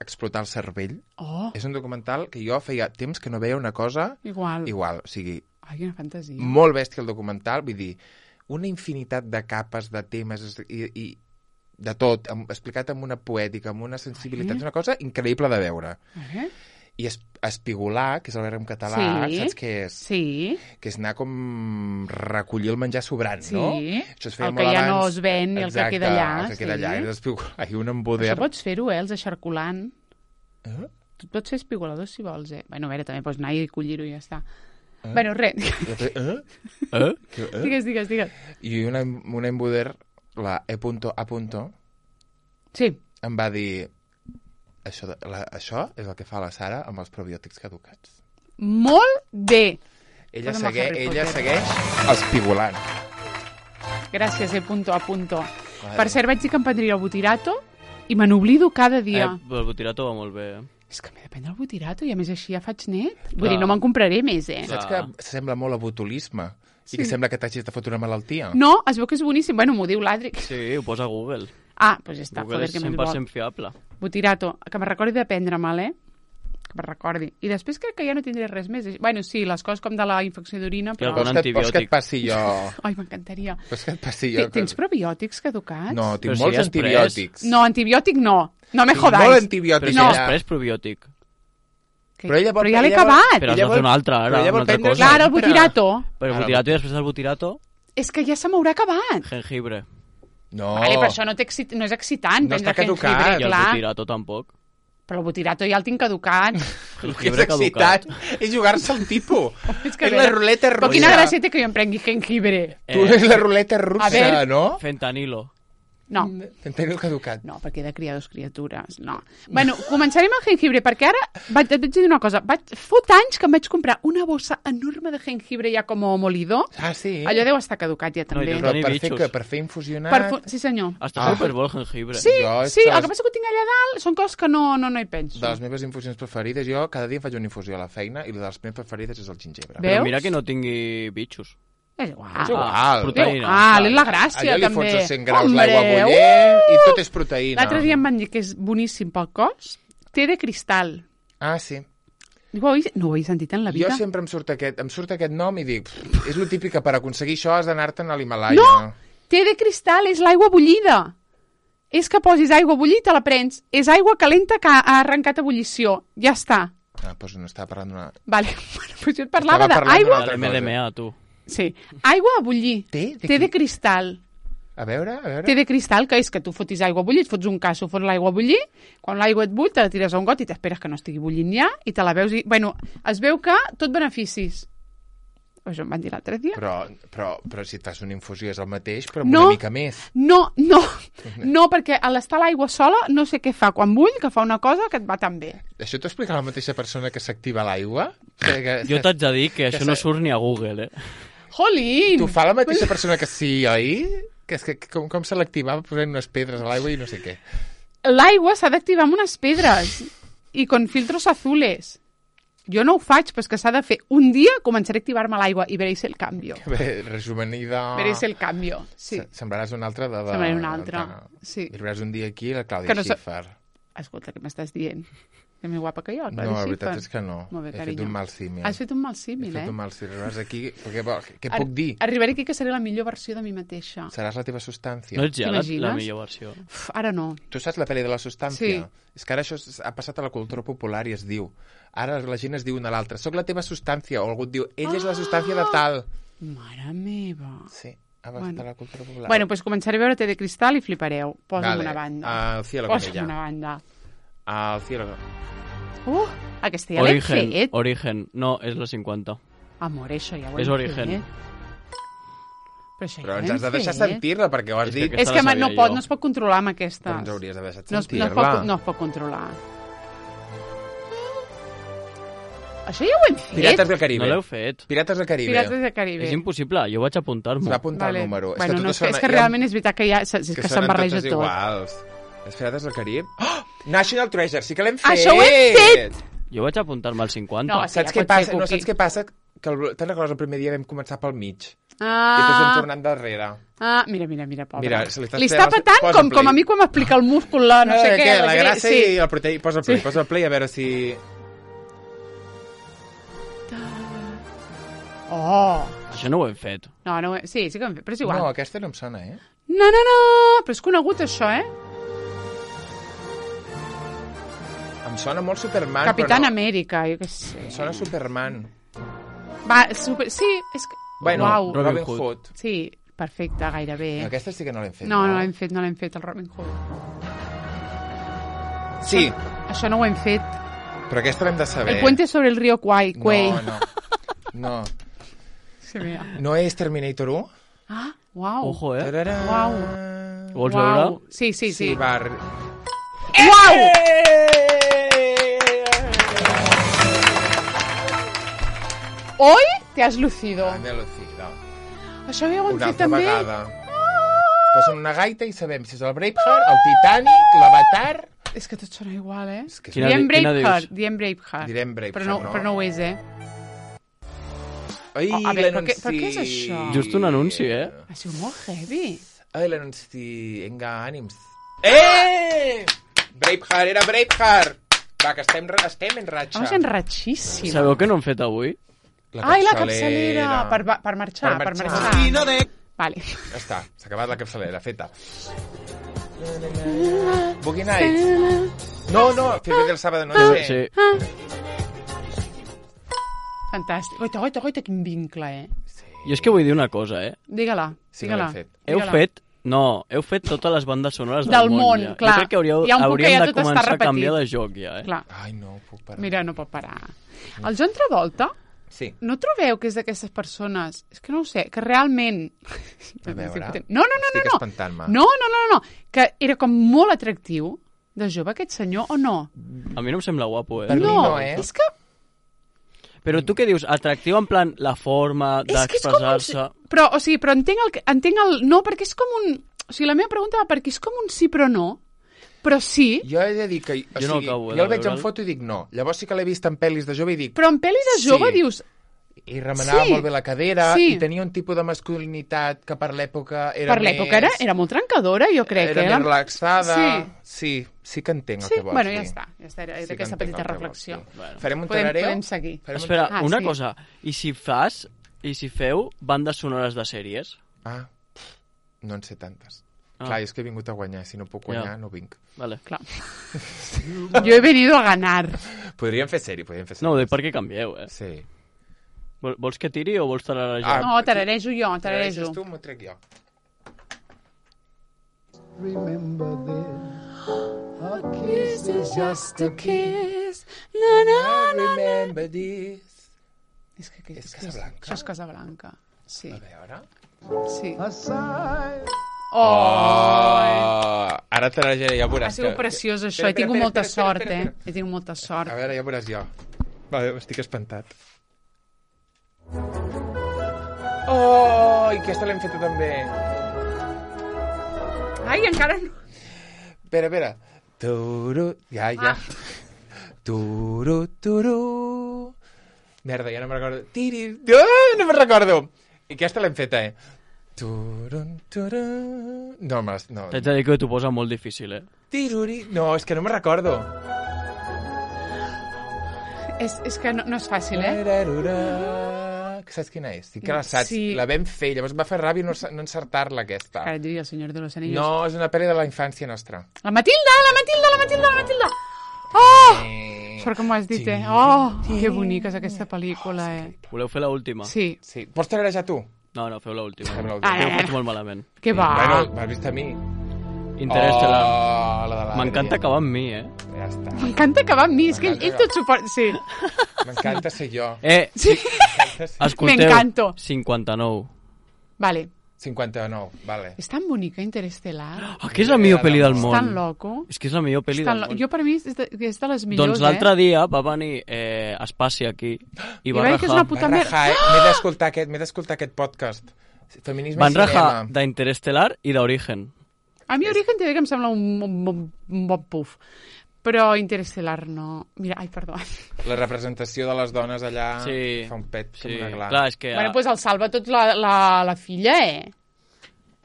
explotar el cervell. Oh, És un documental que jo feia temps que no veia una cosa igual. igual. O sigui, Ai, quina fantasia. molt bèstia el documental, vull dir, una infinitat de capes, de temes i, i de tot, amb, explicat amb una poètica, amb una sensibilitat, Ai. és una cosa increïble de veure. Eh? I es, espigolar, que és el verb en català, Sí. saps què és? Sí, Que és anar com recollir el menjar sobrant, sí. no? Això es feia El que molt ja abans. no es ven i el que Exacte, queda allà. el que queda sí. allà. I espigolar, i un embuder. Això pots fer-ho, eh, els eixarculant. Eh? Tu et pots fer espigolador si vols, eh? Bueno, a veure, també pots anar i collir-ho i ja està. Eh? Bueno, res. Eh? Eh? Que- eh? Digues, digues, digues. I una, una embuder, la E punto A punto, Sí. em va dir això, de, la, això és el que fa la Sara amb els probiòtics caducats. Molt bé. Ella, Posa'm a segue, Harry ella Potter. segueix espigolant. Gràcies, eh, punto a punto. Vale. Per cert, vaig dir que em prendria el butirato I me n'oblido cada Eh, dia. el butirato va molt bé, eh? És que m'he de prendre el butirato i a més així ja faig net. Vull Clar. dir, no me'n compraré més, eh? Saps Clar. que sembla molt a botulisme? Sí. I que sembla que t'hagis de fotre una malaltia? No, es veu que és boníssim. Bueno, m'ho diu l'Adric. Sí, ho posa a Google. Ah, doncs ja està. Google Joder, és que més cent per vol. cent fiable. Butirato, que me recordi de prendre-me'l, eh? Que me recordi. I després crec que ja no tindré res més. Bueno, sí, les coses com de la infecció d'orina, però... algun Vols que, et- vols que antibiòtic. et passi jo... Ai, m'encantaria. Vols que et passi jo... T- Tens probiòtics caducats? No, tinc Però si molts has pres. antibiòtics. No, antibiòtic no. No me Tinc jodáis. molt Però antibiòtic. si No. has allà. pres probiòtic. Que- Però ella vol- però ja l'he ella vol- acabat. Però has Ella de vol- fer una altra, però ara, ella vol una altra prendre- cosa. Clar, el Sempre. butirato. Però el Ara, butirato i després del butirato, És que ja se m'haurà acabat. jengibre. No. Vale, però això no, excit... no és excitant. No prendre està caducat. jengibre, I el clar. butirato tampoc. Però el butirato ja el tinc caducat. El que és Jengibre caducat. excitant és jugar-se al tipus. És que és a la veure, ruleta russa. Però quina gràcia té que jo em prengui jengibre? Tu Eh, és la ruleta russa, A veure. no? Fentanilo. No, Entenc el caducat. no, perquè he de criar dos criatures. No. Bueno, començarem amb jengibre, perquè ara vaig, et vaig dir una cosa. Vaig, fot anys que em vaig comprar una bossa enorme de jengibre ja com molido. Ah, sí? Allò deu estar caducat ja No, i també. tu Però Tenir per fer, bitxos. que, per fer infusionat... Per fu- Sí, senyor. Està Ah. superbo el jengibre. Sí, Jo és sí, que el les- que passa que ho tinc allà dalt són coses que no, no, no hi penso. De les meves infusions preferides, jo cada dia em faig una infusió a la feina i una de les meves preferides és el gingebre. Bé. Però Veus? mira que no tingui bitxos. És igual. És igual. Ah, proteïna. Ah, és la gràcia, Allò li també. fots els cent graus Hombre, l'aigua bullent uh! i tot és proteïna. L'altre dia em van dir que és boníssim pel cos. Té de cristal. Ah, sí. No ho, he, no ho he sentit en la vida? Jo sempre em surt aquest, em surt aquest nom i dic, "Pff, és lo típic que per aconseguir això has d'anar-te'n a l'Himalaya. No! Té de cristal, és l'aigua bullida. És que posis aigua bullida i te la prens. És aigua calenta que ha arrencat ebullició. Ja està. Ah, doncs no estava parlant d'una... Vale. Bueno, pues jo et parlava Estava parlant d'aigua... d'una De altra l'M D M A, tu. Sí. Aigua a bullir. Té? De Té de qui? cristal. A veure, a veure... Té de cristal, que és que tu fotis aigua a bullir, et fots un casso, fots l'aigua a bullir, quan l'aigua et bull, te la tires a un got i t'esperes que no estigui bullint ja, i te la veus i... Bueno, es veu que tot beneficis. Això em van dir l'altre dia. Però, però, però si et fas una infusió és el mateix, però amb No. una mica més. No, no, no, perquè a l'estar a l'aigua sola no sé què fa quan bull, que fa una cosa que et va tan bé. Això t'ho explica la mateixa persona que s'activa l'aigua? O sigui que... Jo t'haig de dir que Que això no se- surt ni a Google, eh? Jolín! T'ho fa la mateixa persona que sí, oi? Que és que com, com se l'activava posant unes pedres a l'aigua i no sé què. L'aigua s'ha d'activar amb unes pedres i con filtros azules. Jo no ho faig, però és que s'ha de fer. Un dia començaré a activar-me l'aigua i veréis el canvi. Bé, rejuvenida... Veréis el canvi, sí. Se- Semblaràs una altra de... de Semblaré una altra, de- sí. Arribaràs un dia aquí la Clàudia Que no sa- Schiffer. Escolta, què m'estàs dient? Que més guapa que jo, No, Clàudia la veritat Schiffer. és que no. Molt bé, He fet carinyo. un mal símil. Has fet un mal He símil, fet eh? un mal símil. Arribaràs aquí... Què, què Ar- puc dir? Arribaré aquí que seré la millor versió de mi mateixa. Seràs la teva substància. No ets ja la, la T'imagines? millor versió. Uf, ara no. Tu saps la pel·li de la substància? Sí. És que ara això s- ha passat a la cultura popular i es diu. Ara la gent es diu una a l'altra. Soc la teva substància. O algú et diu, ell és la substància de tal. Mare meva. Sí, ha passat Bueno. a la cultura popular. Bueno, doncs començaré a veure Té de cristal i flipareu. Posa'm Vale. una banda. Al cielo con Posa'm ella. una banda. Al cielo. Uh, aquesta ja l'hem Origen, fet. Origen. No, és la cinquanta. Amor, això ja ho És hem Origen. fet. Però això Però ja ens ho has de hem deixar fet. sentir-la, perquè ho has És que dit. aquesta És que la ma- no, sabia pot, jo. no es pot controlar amb aquestes. Però ens hauries d'haver deixat no, es, no, es sentir-la. pot, no es pot controlar. Això ja ho hem fet. Pirates del Caribe. No l'heu fet. Pirates del Caribe. Pirates del Caribe. És impossible, jo vaig Es apuntar-m'ho. va apuntar el número. Bueno, és que, no, és, totes que, són- és que hi ha- realment és veritat que, ja, és que, que que se'n sonen barreja totes tot. iguals. Les Pirates del Carib. Oh! National Treasure, sí que l'hem fet! Això ho hem fet! Jo vaig apuntar-me al cinquanta. No, Saps Sí, ja què pot ser, passa? No, Cuqui. saps què passa? Que el, te'n recordes el primer dia vam començar pel mig. I després vam Ah, tornar endarrere. ah, mira, mira, mira, pobre. Mira, se li està li està esperant- patant posa com, play. com a mi quan m'explica el múscul, la no sé Eh, què. La que- gràcia sí. i el proteí. Posa el play, Sí. posa el play a veure si... Oh, Això no ho hem fet. no, no, sí, sí que ho hem fet, però és igual. No, No, aquesta no em sona, eh? no, no, no, però és conegut això, eh? Em sona molt Superman, Capitán però no. Amèrica, jo què sé. Em sona Superman. Va, super... sí, és que... Bueno, Uau. Robin, Robin Hood. Hood. Sí, perfecte, gairebé. Aquesta sí que no l'hem fet. No, no l'hem fet, no l'hem fet, el Robin Hood. Sí, Això no ho hem fet. però aquesta l'hem de saber. El puente sobre el río Kwai, Kwai. No, no. No. Se vea. No és Terminator u? Ah, uau. Ojo, eh? Tararà. Uau. Ho vols Uau. veure? Sí, sí, sí. Sí, va. arri- Uau! Hoy te has lucido. Ah, me lo cido. Això ja ho hem Una fet altra també. vegada. Posen una gaita i sabem si és el Braveheart, el Titanic, l'Avatar... És que tot sona igual, eh? És que Quina Diem di- quina Braveheart, dius? diem Braveheart. Direm Braveheart, però no, no? Però no ho és, eh? Ai, Oh, a veure, però què- l'anunci... però què és això? Just un anunci, eh? Ha sigut molt heavy. Ai, l'anunci... Vinga, ànims. Eh! Braveheart, era Braveheart! Va, que estem, estem en ratxa. Vamos enratxíssim. Sabeu què no hem fet avui? Ai, la capçalera! Per, va- per marxar, Per per marxar. marxar. Vale. Ja està, s'ha acabat la capçalera, feta. Boogie Nights. No, no, Fiebre del Sábado, no sé. Sí. Fantàstic. Goita, goita, goita, quin vincle, eh? Jo és que vull dir una cosa, eh? Digue-la, Sí que digue-la. l'hem fet. Heu Digue-la. fet... No, heu fet totes les bandes sonores del, Del món, ja. clar. Jo crec que hauríeu, Hi ha un punt que hauríem ja de tot està començar a repetit. canviar de joc, ja, eh? Clar. Ai, no, puc parar. Mira, no pot parar. El John Travolta, Sí. no trobeu que és d'aquestes persones... És que no ho sé, que realment... A veure, No, no, no, no. estic no. espantant-me. No, no, no, no. Que era com molt atractiu de jove aquest senyor, o no? A mi no em sembla guapo, eh? Per mi no, no, eh? és que... Però tu què dius? Atractiu en plan la forma És que és com un... d'expressar-se... Però, o sigui, però entenc el, que- entenc el... No, perquè és com un... O sigui, la meva pregunta va perquè és com un sí però no, però sí, Jo he de dir que... O Jo no sigui, acabo de jo el veig en veure'l. foto i dic no. Llavors sí que l'he vist en pel·lis de jove i dic... però en pel·lis de jove Sí. dius... I remenava Sí. molt bé la cadera Sí. i tenia un tipus de masculinitat que per l'època era Per l'època era, més... era molt trencadora, jo crec. Era eh? més relaxada. Sí. Sí, sí que entenc Sí, el que vols bueno, dir. ja està. Ja està, era Sí que aquesta entenc petita el que vols reflexió. dir. Bueno. Farem un Podem, tarareo? podem seguir. Farem un Espera, Ah, una sí. cosa. I si fas... I si feu bandes sonores de sèries? Ah, no en sé tantes. Ah. Clar, és que he vingut a guanyar. Si no puc guanyar, Ja. no vinc. Vale. Clar. Jo he venido a ganar. Podríem fer sèrie, podríem fer sèrie. No, ho dic perquè canvieu, eh? Sí. Vol- Vols que tiri o vols tararejar? Ah, No, tararejo jo, Tarareges tararejo. tu, m'ho trec jo. Remember this. A kiss is just a kiss. Na, na, I na. remember this. És que, que, És Casablanca. Això és Casablanca. Sí, A veure... sí. A sigh. Oh! Oh! Ara tararejaré, ja veuràs. Ha sigut que- preciós, això. Espera, He tingut espera, molta espera, sort, espera, eh? espera. He tingut molta A sort. veure, ja veuràs jo. Vale, estic espantat. Oh, i aquesta l'hem feta també. Ai, encara no. Espera, espera. Turu... Ja, ja. Turu, turu... Merda, ja no me'n recordo. Tiri... Oh, no me'n recordo. I aquesta l'hem feta, eh? Turun, turun... No, mas, no. T'haig de dir que t'ho posa molt difícil, eh? Tiruri... No, és que no me'n recordo. És, és que no, no és fàcil, eh? Tararura. Que saps quina és? Sí que la saps. Sí. La vam fer, llavors em va fer ràbia no, no encertar-la, aquesta. Ara et diria el senyor de los anillos. No, és una pel·li de la infància nostra. La Matilda, la Matilda, la Matilda, la Matilda! Oh! Eh... Sort que m'ho has dit, eh? Oh, que bonica és aquesta pel·lícula, eh? Voleu fer l'última? Sí. Sí. Vols tararejar tu? No, no, feu l'última. Fem l'última. Que ho Ah, faig molt malament. Que va. Bueno, m'has vist a mi. Interestelar. Oh, la de l'Adri. M'encanta acabar amb mi, eh? Ja està. M'encanta acabar amb mi, és que ell, ell tot suport... Sí. M'encanta ser jo. Eh, Sí. M'encanta ser... escolteu. M'encanto. cinquanta-nou. Vale. cinquanta-nou, vale. És tan bonica Interestelar. Ah, que és la millor pel·li del És món. tan loco. És que és la millor pel·li És tan del lo... món. Jo per mi és de, és de les millors, Doncs l'altre eh? dia va venir eh, Espaci aquí i I va va dir que és rajar, una puta Va merda. rajar, eh? M'he d'escoltar aquest, m'he d'escoltar aquest podcast. Feminisme van i rajar cinema. d'Interestel·lar i d'Origen. A mi Origen t'he de dir que em sembla un, un, un, un bon puf. Però Interestelar no... Mira, ai, perdó. La representació de les dones allà Sí, fa un pet sí. com una gla. Clar, és que... Bueno, doncs pues el salva tot la, la, la filla, eh?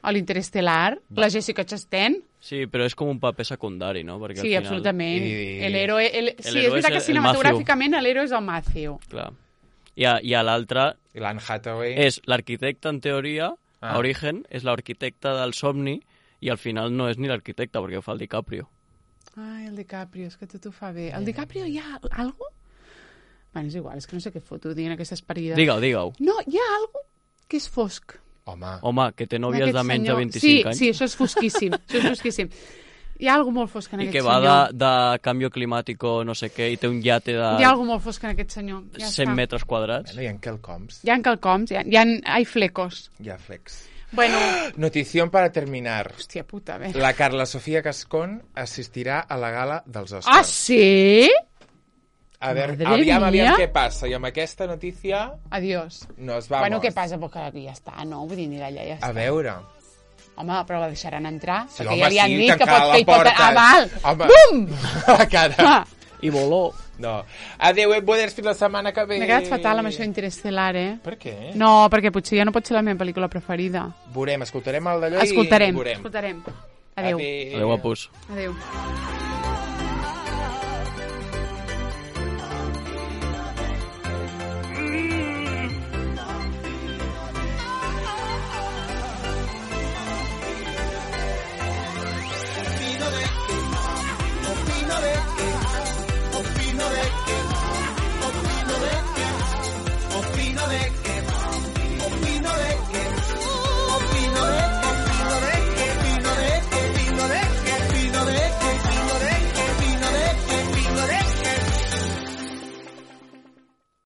A l'Interestelar. La Jessica Chastain. Sí, però és com un paper secundari, no? Perquè Sí, al final... absolutament. I- El héroe... El... Sí, héroe és veritat és que el- cinematogràficament l'héroe és el Matthew. Clar. I a, i a l'altre I l'Anne Hathaway... és l'arquitecte, en teoria, Ah. a Origen, és l'arquitecte del somni, i al final no és ni l'arquitecte, perquè ho fa el DiCaprio. Ai, el DiCaprio, és que tot ho fa bé. El DiCaprio hi ha algo? Bueno, és igual, és que no sé què foto, dient aquestes parides. Digue-ho, digue-ho. No, hi ha algo que és fosc. Home, Home, que té nòvies Aquest de menys de senyor. vint-i-cinc sí, anys. Sí, això és fosquíssim. Això és fosquíssim. Hi ha algo molt fosc en I aquest que va de, senyor. de canvi climàtic o no sé què, i té un iate de Hi ha algo molt fosc en aquest senyor. Ja cent està. metres quadrats. bueno, hi ha quelcoms. Hi ha quelcoms, hi ha, hi ha, hay flecos. Hi ha flex. Bueno, Notición para terminar. hòstia puta, a veure. La Carla Sofía Gascón assistirà a la gala dels Oscars. Ah, sí? A veure, Madre aviam, mía. aviam què passa. I amb aquesta notícia Adiós. nos vamos. Bueno, què passa? Perquè ja està, no? Vull dir, anirà allà, ja està. A veure, Home, però la deixaran entrar, Sí, perquè home, ja li han sí, dit que tancar pot, la que hi pot... porta. Ah, val! Home. Bum! La cara. Ah, I voló. No. Adéu, et poders fins la setmana que ve. m'he quedat fatal amb això Interestelar, eh? Per què? No, perquè potser ja no pot ser la meva pel·lícula preferida. Veurem, escoltarem el d'allò i Escoltarem, veurem. escoltarem. Adéu. Adéu, guapos. Adéu.